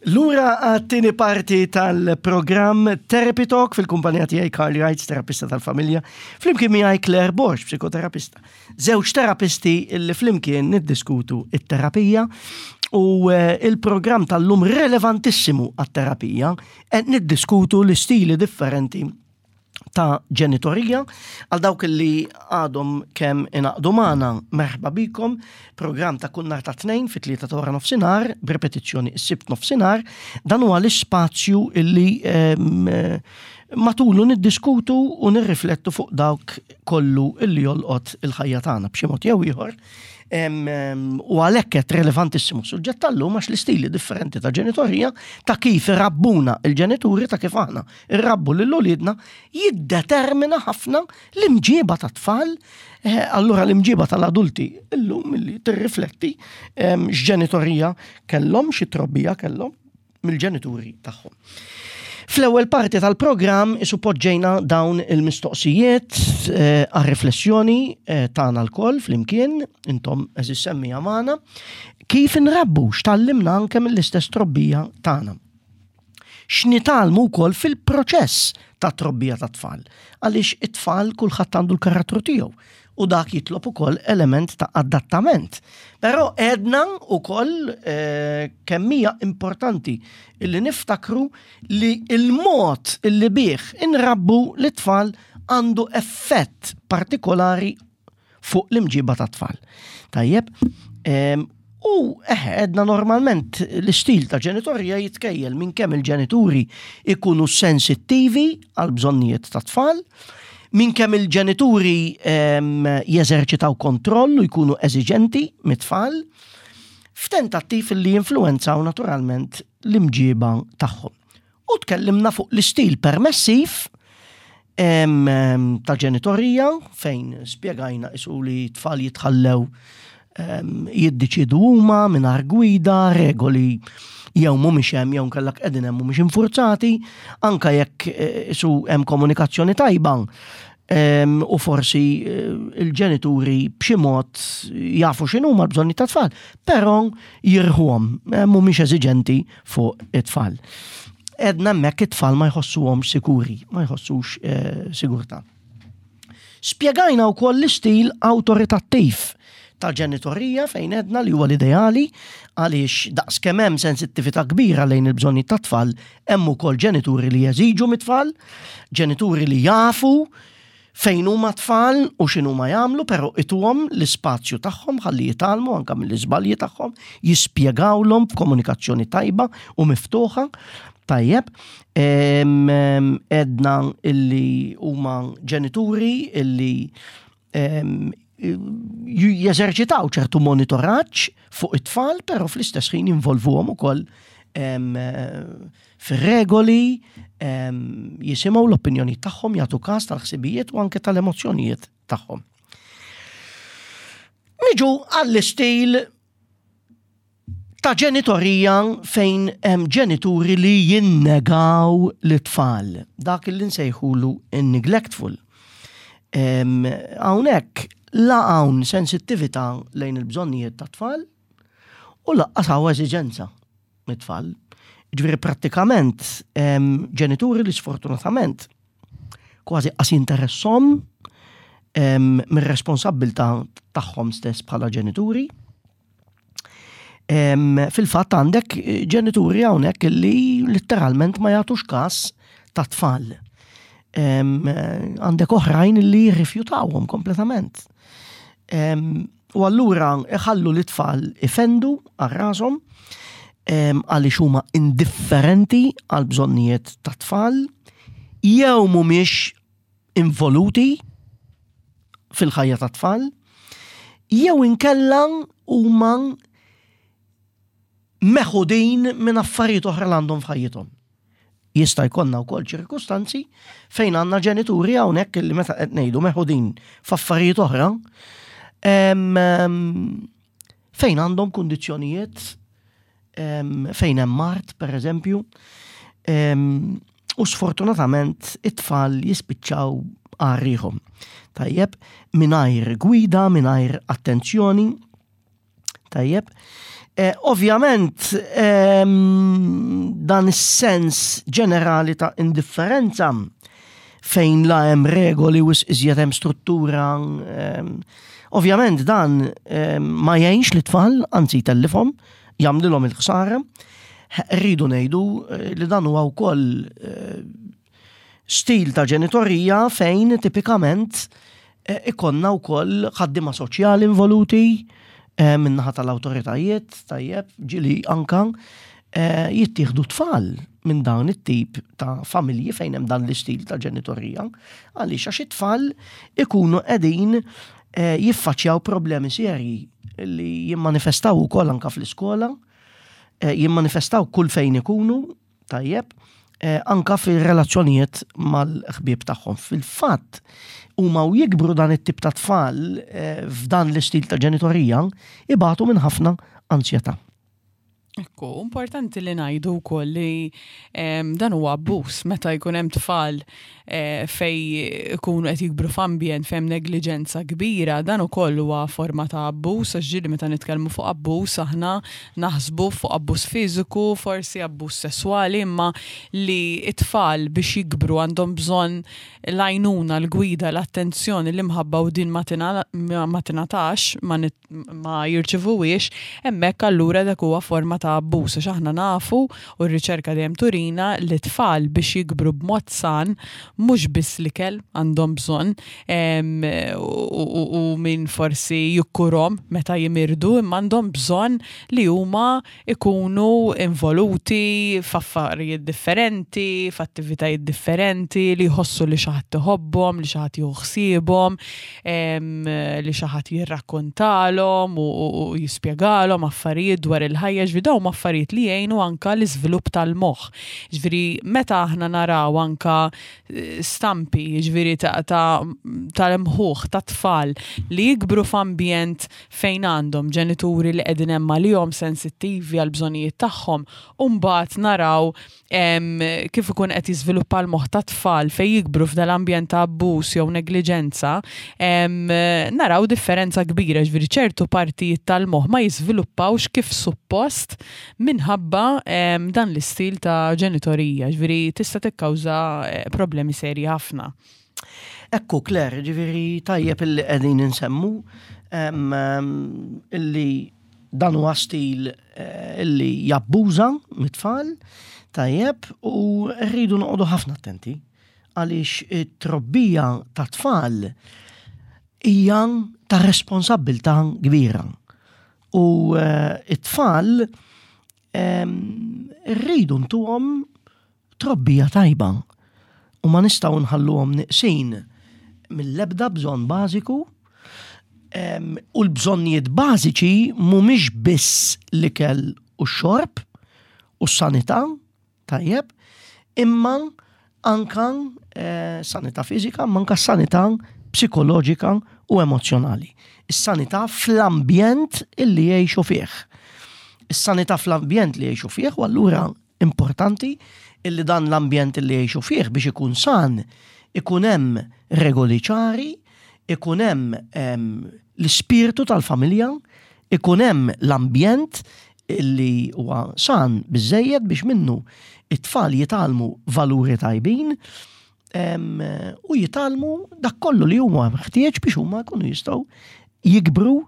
Lura għat-tieni parti tal-programm Therapy Talk fil-kumpanija tiegħi Carly Wright, terapista tal-familja, flimkien miegħi Claire Borg, psikoterapista. Żewġ terapisti li flimkien niddiskutu it-terapija u eh, il-programm tal-lum relevantissimu għat-terapija qed niddiskutu l-istili differenti ta' ġenitorija. Għal dawk li għadhom kemm inaqdu magħna, merħba bikom, programm ta' kull nhar ta' tnejn fit-tlieta ta' wara nofsinhar, b'repetizzjoni s-sibt nofsinhar, dan huwa l-ispazju illi ehm, matulu niddiskutu u nirriflettu fuq dawk kollu illi jolqot il-ħajja tagħna b'xi mod jew ieħor. U għalhekk qed relevantissimu suġġett tal-lum għax l-istili differenti ta' ġenitorija ta' kif irabbuna il-ġenituri ta' kif aħna irrabbu lil uliedna jiddetermina ħafna l-imġiba ta' tfal, eh, allura l-imġiba tal-adulti illum li tirrifletti ehm, x'ġenitorija kellhom, xi trobbija kellhom mill-ġenituri tagħhom. Fl-ewwel parti tal-programm isu poġġejna dawn il-mistoqsijiet eh, għar-riflessjoni eh, tagħna lkoll flimkien, intom eżis semmija magħna, kif inrabbu x'tallimna anke mill-istess trobbija tagħna. X'nitgħallmu wkoll fil-proċess ta' trobbija ta' tfal. Għaliex it-tfal kulħadd għandu l-karattru tiegħu u dak jitlob ukoll element ta' adattament. Però għedna ukoll eh, kemm hija importanti illi niftakru li il-mod illi bih inrabbu l-tfal għandu effett partikolari fuq l-imġiba ta' tfal. Tajjeb, u eħe, edna normalment l-istil ta' ġenitorja jitkejjel minn kemm il-ġenituri ikunu sensittivi għal bżonnijiet ta' tfal, minn kemm il-ġenituri jeżerċitaw kontroll u jkunu eżiġenti mit-tfal, f'tentattiv li jinfluwenzaw naturalment l-imġiba tagħhom. U tkellimna fuq l-istil permessiv ta' ġenitorija fejn spjegajna isu li tfal jitħallew jiddeċidu huma mingħajr gwida, regoli jew mhumiex hemm jew kellek qegħdin hemm mhumiex infurzati, anka jekk eh, isu hemm komunikazzjoni tajba u forsi eh, il-ġenituri b'xi mod jafu x'inhuma l-bżonni tat-tfal, però jirħuhom, eh, mhumiex eżiġenti fuq it-tfal. Edna hemmhekk it-tfal ma jħossuhomx sikuri, ma jħossux eh, sigurtà. Spjegajna wkoll l-istil awtoritattiv ta' ġenitorija fejn edna li huwa l-ideali għaliex daqs kemm hemm sensittività kbira lejn il-bżonnijiet tat-tfal, hemm ukoll ġenituri li jeżiġu mit-tfal, ġenituri li jafu fejn huma tfal u x'inhuma jagħmlu, però ituhom l-ispazju tagħhom ħalli jitgħallmu anke mill-iżbalji tagħhom, jispjegawlhom b'komunikazzjoni tajba u miftuħa. Tajjeb, edna illi huma ġenituri illi jeżerċitaw ċertu monitoraġġ fuq it-tfal, però fl-istess ħin jinvolvuhom ukoll fir-regoli, jisimgħu l-opinjoni tagħhom, jagħtu każ tal-ħsibijiet u anke tal-emozzjonijiet tagħhom. Niġu għall-istil ta' ġenitorija fejn hemm ġenituri li jinnegaw l-tfal, dak li nsejħulu neglectful. Hawnhekk la hawn sensittività lejn il-bżonnijiet ta' tfal u laqqas hawn eżiġenza mit-tfal. Ġifieri prattikament ġenituri li sfortunatament kważi qas jinteressom mir-responsabbiltà tagħhom stess bħala ġenituri. Fil-fatt għandek ġenituri hawnhekk li letteralment ma jagħtux każ ta' tfal. Għandek oħrajn li jirrifjutawhom kompletament. U allura iħallu li tfal ifendu għal rashom. għaliex huma indifferenti għal bżonnijiet ta' tfal, jew mhumiex involuti fil-ħajja ta' tfal, jew inkella huma meħudin minn affarijiet oħra li għandhom f'ħajjithom. Jista' jkollna wkoll ċirkustanzi fejn għandna ġenituri hawnhekk li meta qed ngħidu meħudin f'affarijiet oħra fejn għandhom kundizzjonijiet fejn hemm mart pereżempju u sfortunatament it-tfal jispiċċaw għarriħom. Tajjeb, mingħajr gwida, mingħajr attenzjoni, Tajjeb. Eh, ovvjament, ehm, dan is-sens ġenerali ta' indifferenza fejn la hemm regoli u iżjed hemm struttura, ehm, ovvjament dan ehm, ma jgħinx li tfal, anzi jtellifhom, jagħmlilhom il-ħsara. Rridu ngħidu eh, li dan huwa wkoll eh, Stil ta' ġenitorija fejn tipikament eh, ikonna wkoll ħaddiema soċjali involuti eh, min-naħa tal-awtoritajiet, tajjeb, ġili anka eh, jittieħdu tfal minn dawn it-tip ta' familji fejn hemm dan l-istil ta' ġenitorija, għaliex għax it-tfal ikunu qegħdin jiffaċċjaw problemi serji li jimmanifestaw ukoll anka fl-iskola, jimmanifestaw kull fejn ikunu, Tajjeb, eh, anka fir-relazzjonijiet mal-ħbieb tagħhom. Fil-fatt, huma u jikbru dan it-tip ta' tfal eh, f'dan l-istil ta' ġenitorija ibatu minn ħafna ansjetà. Ekku, importanti li ngħidu wkoll li dan huwa abbuż meta jkun hemm tfal eh, fej ikunu qed jikbru f'ambjent fejn negliġenza kbira, dan ukoll huwa forma ta' abbuż, għax ġieli meta nitkellmu fuq abbuż aħna naħsbu fuq abbuż fiżiku, forsi abbuż sesswali, imma li t-tfal biex jikbru għandhom bżonn l-għajnuna, l-gwida, l-attenzjoni, l-imħabba u din ma tingħatax, ma jirċivuhiex, hemmhekk allura dak huwa forma ta' abbuż għax aħna nafu u r-riċerka dejjem turina li tfal biex jikbru b'mod san mhux biss l-ikel għandhom bżonn u min forsi jikkurhom meta jimirdu imma għandhom bżonn li huma ikunu involuti f'affarijiet differenti, f'attivitajiet differenti, li jħossu li xi ħadd iħobbhom, li xi ħadd jieħu ħsiebhom, li xi ħadd jirrakkontalhom u jispjegalhom affarijiet dwar il-ħajja, ġifieri dawn huma affarijiet li jgħinu anka l-iżvilupp tal-moħħ. Ġifieri meta aħna naraw anka eh, stampi, ġifieri tal-imħuħ ta' tfal li jikbru f'ambjent fejn għandhom ġenituri li qegħdin hemm għalihom sensittivi għall-bżonnijiet tagħhom u mbagħad naraw kif ikun qed jiżviluppa l-moħħ tat-tfal fejn jikbru f'dal-ambjent ta' abbuż jew negliġenza, naraw differenza kbira, ġifieri ċertu partijiet tal-moħħ ma jiżviluppawx kif suppost minħabba dan l-istil ta' ġenitorija, ġifieri tista' tikkawża eh, problemi serji ħafna. Ekku, Claire, ġifiri tajjeb illi qegħdin insemmu illi dan huwa stil eh, illi jabbuża mit-tfal, tajjeb, u rridu noqogħdu ħafna attenti għaliex it-trobbija ta' tfal hija ta' responsabbiltà kbira. U eh, it-tfal rridu ntuhom trobbija tajba u ma nistgħu nħalluhom neqsin mill-ebda bżonn bażiku u l-bżonnijiet bażiċi mhumiex biss l-ikel u x-xorb u s-sanità, tajjeb, imma anka eh, sanità fiżika, imma anka sanità psikoloġika u emozjonali. Is-sanità fl-ambjent illi jgħixu fih. Is-sanità fl-ambjent li jgħixu fih u allura Importanti illi dan l-ambjent illi jgħixu fih biex ikun san, ikun hemm regoli ċari, ikun hemm l-ispirtu tal-familja, ikun hemm l-ambjent illi huwa san biżejjed biex minnu it-tfal jitgħallmu valuri tajbin u jitgħallmu dak kollu li huma meħtieġ biex huma jkunu jistgħu jikbru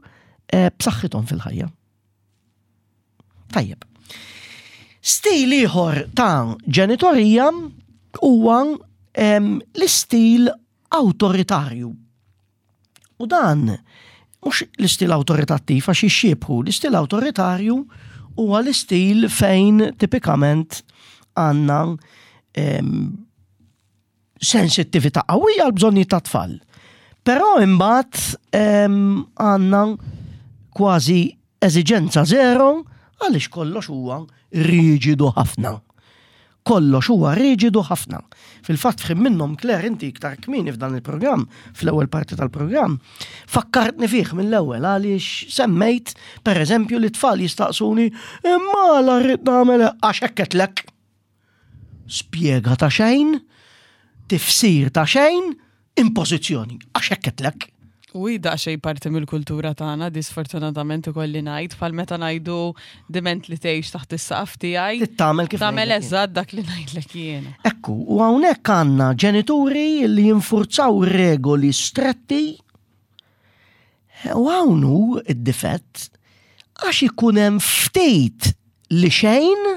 eh, b'saħħithom fil-ħajja. Tajjeb. Stil ieħor ta' ġenitorija huwa l-istil awtoritarju. U dan mhux l-istil awtoritattiv għax jixxiebħu, l-istil awtoritarju huwa l-istil fejn tipikament għandna sensittività qawwija għal bżonnijiet ta' tfal. Però imbagħad għandna kważi eżiġenza zero għaliex kollox huwa riġidu ħafna. Kollox huwa riġidu ħafna. Fil-fatt f'ħin minnhom Claire inti iktar kmieni f'dan il-programm, fl-ewwel parti tal-programm, fakkartni fih mill-ewwel għaliex semmejt pereżempju li tfal jistaqsuni imma la rrid nagħmel għax hekk qedlek. Spjega ta' xejn, tifsir ta' xejn, impożizzjoni, għax hekk qedlek. U hi daqsxejn parti mill-kultura tagħna, di sfortunatament ikolli ngħid, bħal meta ngħidu diment li tgħix taħt is-saqaf tiegħi. Tagħmel kif tagħmel eżatt dak li ngħidlek jiena. Ekku, u hawnhekk għandna ġenituri li jinfurzaw regoli stretti u hawn hu d-difett għax ikun hemm ftit li xejn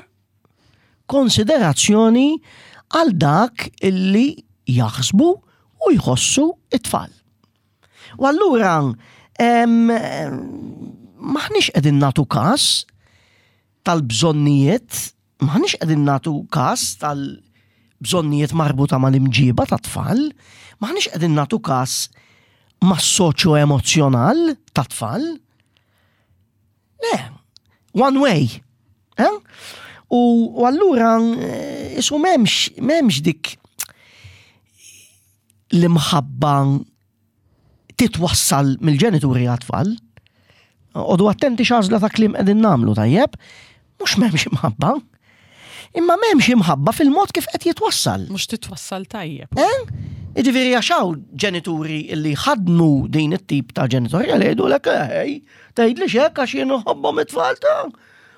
konsiderazzjoni għal dak illi jaħsbu u jħossu it-tfal. U allura maħniex qegħdin nagħtu każ tal-bżonnijiet, maħniex qegħdin nagħtu każ tal-bżonnijiet marbuta mal-imġiba tat-tfal, maħniex qegħdin nagħtu każ mas-soċjo-emozzjonal tat-tfal. Le, one way. Eh? U allura eh, isu memx, memx dik l-imħabba titwassal mill-ġenituri għat-tfal. Odu attenti x'għażla ta' kliem qegħdin nagħmlu tajjeb, mhux m'hemmx imħabba. Imma m'hemmx imħabba fil-mod kif qed jitwassal. Mhux titwassal tajjeb. Eh? Jiġifieri għax hawn ġenituri li ħadnu din it-tip ta' ġenitorja li jgħidulek ej, tgħidli hekk għax jien nħobbhom it-tfal ta'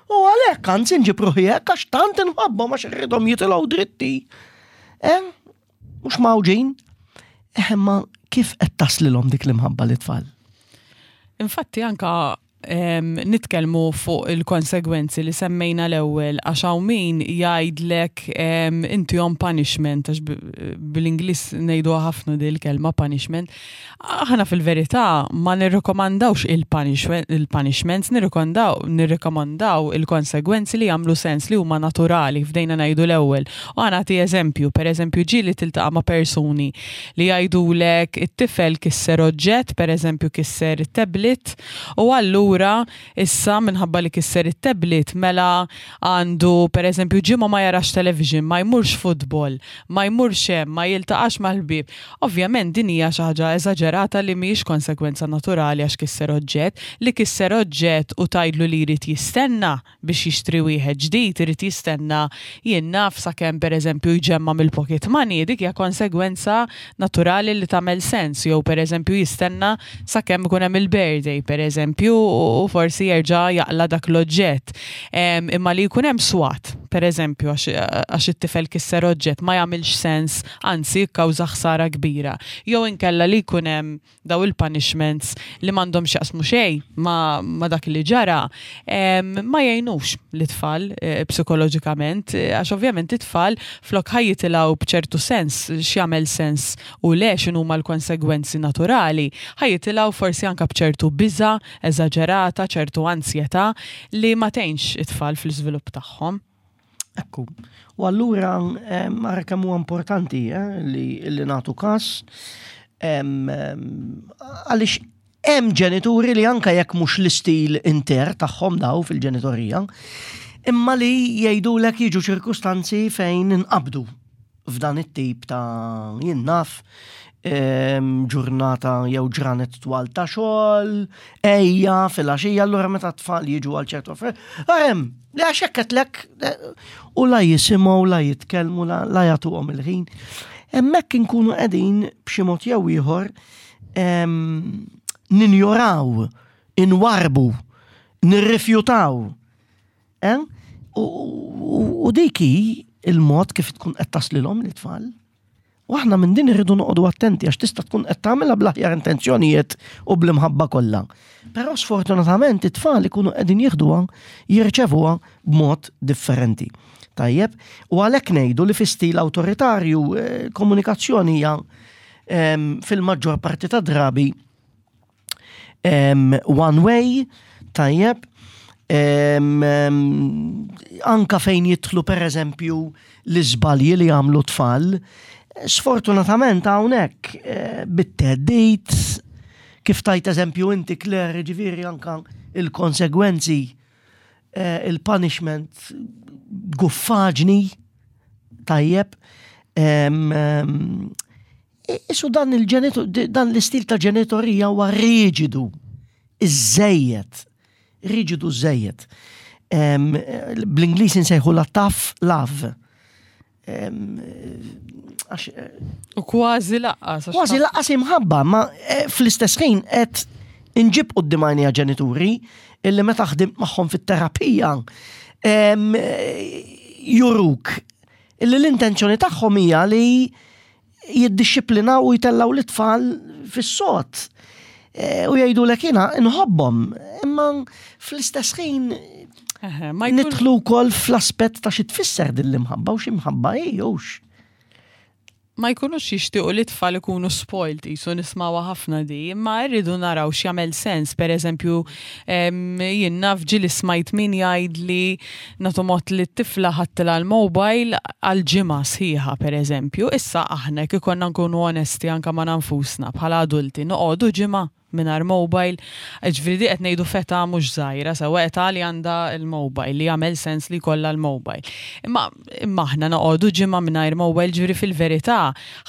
U għalhekk anzi nġib ruħi hekk għax tant inħobbhom għax irridhom jitilgħu dritti. Eh? Mhux mawġin. Eh, imma kif qed taslilhom dik l-imħabba lit-tfal? Infatti anka nitkellmu fuq il-konsegwenzi li semmejna l-ewwel għax hawn min jgħidlek inti on punishment għax bil-Ingliż ngħiduha ħafna din il-kelma punishment. Aħna fil-verità ma nirrikomandawx il-punishments, nirrikomandaw il-konsegwenzi li jagħmlu sens li huma naturali fdejna ngħidu l-ewwel. U ħa nagħti eżempju, pereżempju ġieli tiltaqa' ma' persuni li jgħidulek it-tifel kisser oġġett, pereżempju kisser it-tablet, u allura issa minħabba li kisser it-tablet mela għandu pereżempju ġimgħa ma jarax television, ma jmurx futbol, ma jmurx hemm, ma jiltaqax mal-ħbieb. Ovvjament din hija xi ħaġa eżaġerata li mhijiex konsegwenza naturali għax kisser oġġett. Li kisser oġġett u tgħidlu li jrid jistenna biex jixtri wieħed ġdid, irid jistenna jien naf sakemm pereżempju jġemma' mill-pocket money, dik hija konsegwenza naturali li tagħmel sens, jew pereżempju jistenna sakemm ikun hemm il-birthday pereżempju u forsi jerġa' jaqla' dak l-oġġett. Imma li jkun hemm swat, pereżempju għax it-tifel kisser oġġett ma jagħmilx sens, anzi jikkawża ħsara kbira. Jew inkella li jkun hemm daw il-punishments li m'għandhom x'jaqsmu xejn ma, ma dak li ġara, ma jgħinux l-itfal eh, psikoloġikament, eh, għax ovvjament it-tfal flok ħa jitilgħu b'ċertu sens x'jagħmel sens u le x'inhuma l-konsegwenzi naturali, ħa jitilgħu forsi anke b'ċertu biża' eżaġerata, ċertu ansjetà li ma tgħinx it-tfal fl-iżvilupp tagħhom. Ekku. U allura ara kemm huwa importanti eh, li, li nagħtu każ għaliex hemm ġenituri li anka jekk mhux l-istil inter tagħhom daw fil-ġenitorija, imma li jgħidulek jiġu ċirkustanzi fejn inqabdu f'dan it-tip ta' jien naf ġurnata jew ġranet twal ta' xogħol, ejja fil-għaxija, allura meta tfal jiġu għal ċertu affarijiet, hemm li għax hekk qedlek u la jisimgħu, la jitkellmu, la jagħtuhom il-ħin. Hemmhekk inkunu qegħdin b'xi mod jew ieħor ninjoraw, inwarbu, nirrifjutaw Eh? U dik hi il-mod kif tkun qed taslilhom l-itfal. U aħna minn din irridu noqogħdu attenti għax tista' tkun qed tagħmilha bl-aħjar intenzjonijiet u bl-imħabba kollha. Però sfortunatament it-tfal ikunu qegħdin jieħduha, jirċevuha b'mod differenti. Tajjeb, u għalhekk ngħidu li fi stil awtoritarju eh, komunikazzjoni hija ehm, fil-maġġor parti ta' drabi one way, tajjeb, Anka fejn jidħlu pereżempju l-iżbalji li jagħmlu tfal, sfortunatament hawnhekk eh, bit-theddid, kif tajt eżempju inti Claire, ġifieri anka il-konsegwenzi, eh, il-punishment guffaġni tajjeb. Isu dan il-ġenitu, dan l-istil ta' ġenitorija huwa riġidu, iżejjed, riġidu żejjed. Bl-Ingliż insejħu la tough love. Eh, u kważi laqqas. Kważi laqqas imħabba, ma eh, fl-istess ħin qed inġib quddiem għajnija ġenituri illi meta ħdimt magħhom fit-terapija juruk illi l-intenzjoni tagħhom hija li jiddixxiplinaw u jtellaw l-itfal fis-sod. E, u jgħidu lek jiena nħobbhom, imma fl-istess ħin nidħlu wkoll fl-aspett ta' xi tfisser din l-imħabba u xi mħabba hi hux. Ma jkunux jixtiequ li t-tfal ikunu spoiled, qisu nismgħuha ħafna di, imma rridu naraw x'jagħmel sens, per eżempju, jien naf ġieli smajt min jgħidli nagħtu mod li t-tifla ħadtilha l-mobile għal ġimgħa sħiħa per eżempju, issa aħna jekk ikollna nkunu onesti anke ma' nfusna bħala adulti noqogħdu ġimgħa mingħajr mobile, jiġifieri di qed ngħidu f'età mhux żgħira sewwa età li għandha l-mobile, li jagħmel sens li jkollha l-mobile. Imma imma aħna noqogħdu ġimgħa mingħajr mobile ġifieri fil-verità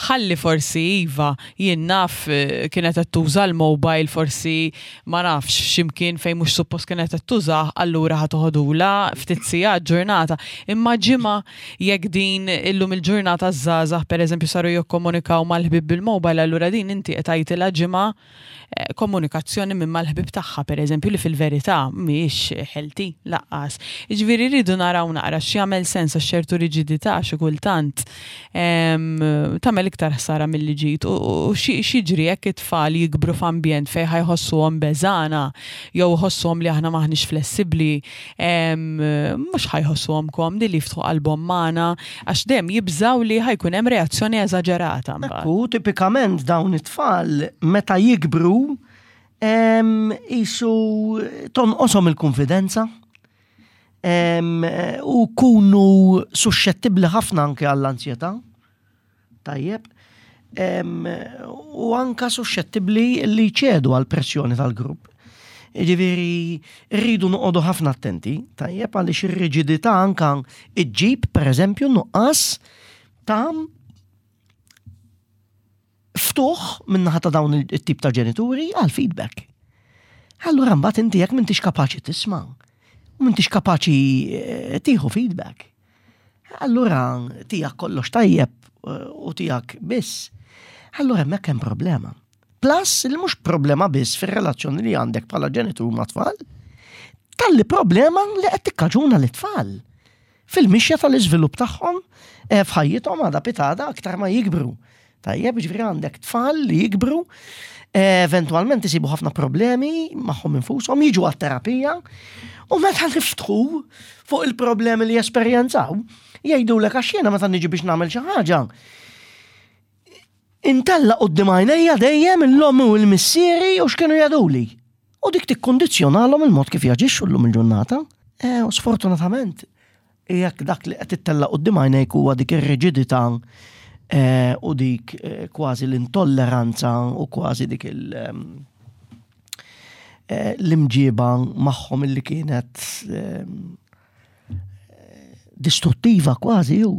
ħalli forsi iva jien naf kienet qed tuża l-mobile forsi ma nafx x'imkien fejn mhux suppost kienet qed tużah allura ħa toħodulha ftit sigħat ġurnata. Imma ġimgħa jekk din illum il-ġurnata ż-żgħażagħ pereżempju saru jikkomunikaw mal-ħbieb bil-mobile allura din inti qed tgħidilha ġimgħa eh, komunikazzjoni minn mal-ħbieb tagħha pereżempju li fil-verità mhijiex healthy laqqas. Jiġifieri rridu naraw naqra x'jagħmel sens għax ċertu riġidità xi kultant tagħmel iktar ħsara milli ġid u x'jiġri jekk it-tfal jikbru f'ambjent fejn ħa jħossuhom beżgħana jew iħossuhom li aħna m'aħniex flessibbli mhux ħa jħossuhom komdi li jiftħu qalbhom magħna għax dejjem jibżgħu li ħa jkun hemm reazzjoni eżaġerata mbagħad. U tipikament dawn it-tfal meta jikbru qisu tonqoshom il-kunfidenza u jkunu suxxettibbli ħafna anke għall-anzjetà. Tajjeb. U anka suxxettibbli li jċedu għal pressjoni tal-grupp. Ġifieri rridu noqogħdu ħafna attenti, tajjeb għaliex ir-riġidità anka iġġib pereżempju nuqqas ta' ftuħ min-naħa ta' dawn it-tip ta' ġenituri għal feedback. Allura mbagħad inti jekk m'intix kapaċi tisma' u m'intix kapaċi eh, tieħu feedback. Allura tiegħek kollox tajjeb eh, u tiegħek biss. Allura hemmhekk hemm problema. Plus li mhux problema biss fir-relazzjoni li għandek bħala ġenitur ma' tfal, talli problema li qed tikkaġuna l-tfal fil-mixja tal-iżvilupp tagħhom eh, f'ħajjithom għada pitada aktar ma jikbru. Tajjeb, ġifieri għandek tfal li jikbru, eh, eventwalment isibu ħafna problemi magħhom infushom, jiġu għat-terapija, u meta niftħu fuq il-problemi li jesperjenzaw, jgħidulek għax jiena meta niġi biex nagħmel xi ħaġa. Intella quddiem għajnejja dejjem l-ommi u l-missieri u x'kienu jgħiduli. U dik tikkundizzjonalhom il-mod kif jaġixxu llum il-ġurnata. Eh, u sfortunatament, jekk dak li qed ittella' quddiem għajnejk huwa dik ir-riġidità eh, u dik eh, kważi l-intolleranza u kważi dik il- ehm, eh, l-imġiba magħhom illi kienet ehm, distruttiva kważi ju.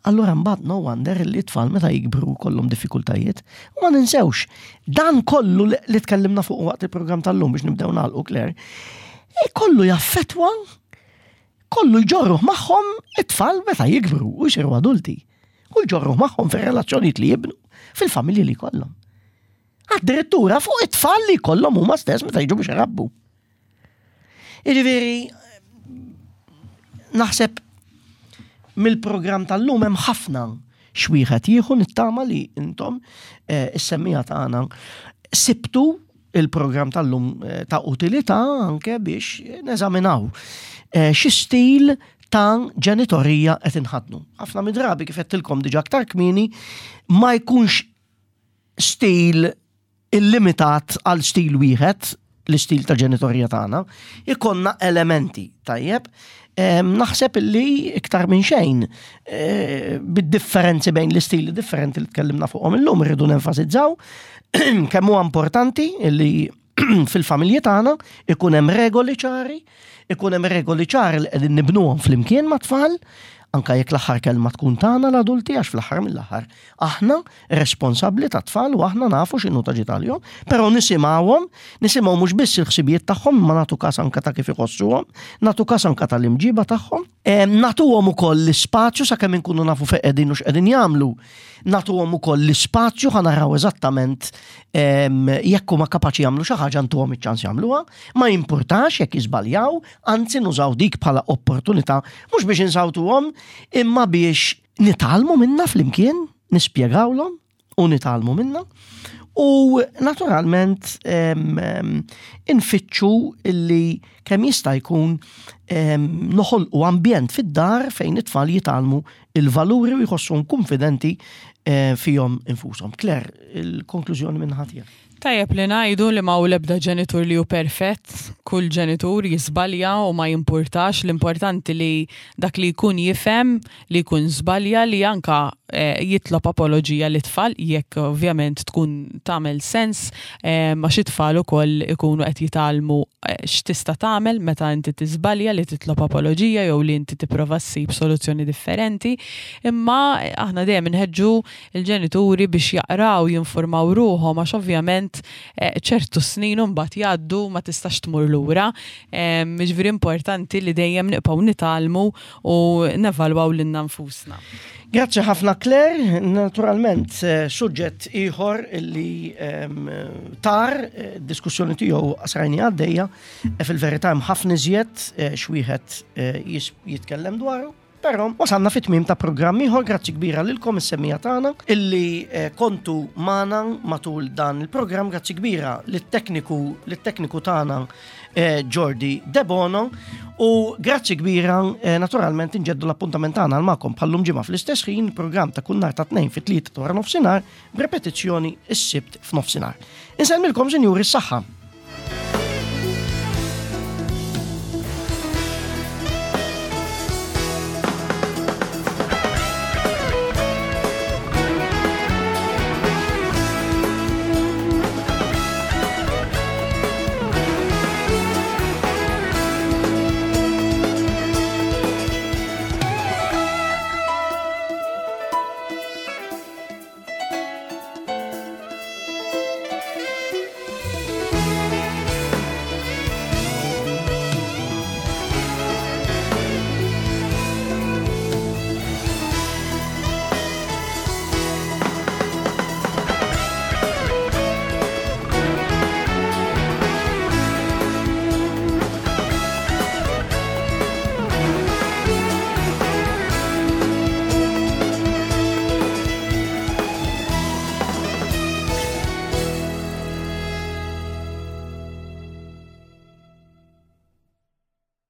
Allura mbagħad no wonder li t-tfal meta jikbru kollhom diffikultajiet. U ma ninsewx, dan kollu li tkellimna fuq waqt il-programm tal-lum biex nibdew nagħlqu Claire, e kollu jaffetwa, kollu jġorruh magħhom it-tfal meta jikbru u jsiru adulti. U jġorruh magħhom fir-relazzjonijiet li jibnu, fil-familji li jkollhom. Addirittura fuq it-tfal li jkollhom huma stess meta jiġu biex irabbu. Jiġifieri naħseb mill-programm tal-lum hemm ħafna xwieħed jieħu nittama li intom eh, is-semmija tagħna sibtu il-programm tal-lum eh, ta' utilità anke biex neżaminaw eh, xi stil ta' ġenitorija qed inħadnu. Ħafna mid-drabi kif qedtilkom diġà aktar kmieni ma jkunx stil illimitat għal stil wieħed. l-istil ta' ġenitorja tagħna, ikollna elementi, tajjeb. Naħseb illi iktar minn xejn eh, bid-differenzi bejn l-istili differenti li tkellimna fuqhom illum irridu nenfasizzaw kemm huwa importanti illi fil-familji tagħna ikun hemm regoli ċari, ikun hemm regoli ċari li qegħdin nibnuhom flimkien mat-tfal, anka jekk l-aħħar kelma tkun tagħna l-adulti għax fl-aħħar mill-aħħar aħna responsabbli tat-tfal u aħna nafu x'inhu ta' ġid għalihom, però nisimgħuhom, nisimgħu mhux biss il-ħsibijiet tagħhom imma nagħtu każ anka ta' kif iħossuhom, nagħtu każ anka tal-imġiba tagħhom, nagħtuhom ukoll l-ispazju sakemm inkunu nafu fejn qegħdin u x'qegħdin jagħmlu. Nagħtuhom ukoll l-ispazju ħa naraw eżattament jekk huma kapaċi jagħmlu xi ħaġa ntuhom iċ-ċans jagħmluha, ma jimpurtax jekk jiżbaljaw, anzi nużaw dik bħala opportunità mhux biex insawtuhom imma biex nitgħallmu minnha flimkien, nispjegawlhom u nitgħallmu minnha. U naturalment infittxu illi kemm jista' jkun noħolqu ambjent fid-dar fejn it-tfal jitgħallmu il-valuri u jħossuhom kunfidenti eh, fihom infushom. Claire, il-konklużjoni minn ħatija. Tajjeb li ngħidu li ma l-ebda ġenitur li hu perfett, kull ġenitur jiżbalja u ma jimpurtax, l-importanti li dak li jkun jifhem li jkun żbalja li anka eh, jitlob apoloġija li tfal jekk ovvjament tkun tagħmel sens eh, ma xi tfal ukoll ikunu qed jitgħallmu eh, x'tista' tagħmel meta inti tiżbalja li titlob apoloġija jew li inti tipprova ssib soluzzjoni differenti. Imma eh, aħna dejjem inħeġġu l-ġenituri biex jaqraw, jinformaw ruħhom għax ovvjament eh, ċertu snin imbagħad jgħaddu ma tistax tmur lura. Jiġifieri importanti li dejjem nibqgħu nitgħallmu u nevalwaw lilna nfusna. Grazzi ħafna Claire, naturalment eh, suġġett ieħor li ehm, tar eh, diskussjoni tiegħu srajni għaddejja, eh, fil-verità hemm ħafna iżjed xwieħed jitkellem dwaru. Però wasalna fit-tmiem ta' programm ieħor, grazzi kbira lilkom is-semmija tagħna illi kontu magħna matul dan il-programm, grazzi kbira lit-tekniku lit-tekniku tagħna Eh, Jordi Debono u grazzi kbira eh, naturalment inġeddu l-appuntament tagħna għal magħkom bħallum ġimgħa fl-istess ħin programm ta' kull nhar ta' tnejn fit-tlieta wara nofsinhar b'repetizzjoni s-sibt f'nofsinhar. Insellmilkom sinjuri s-saħħa.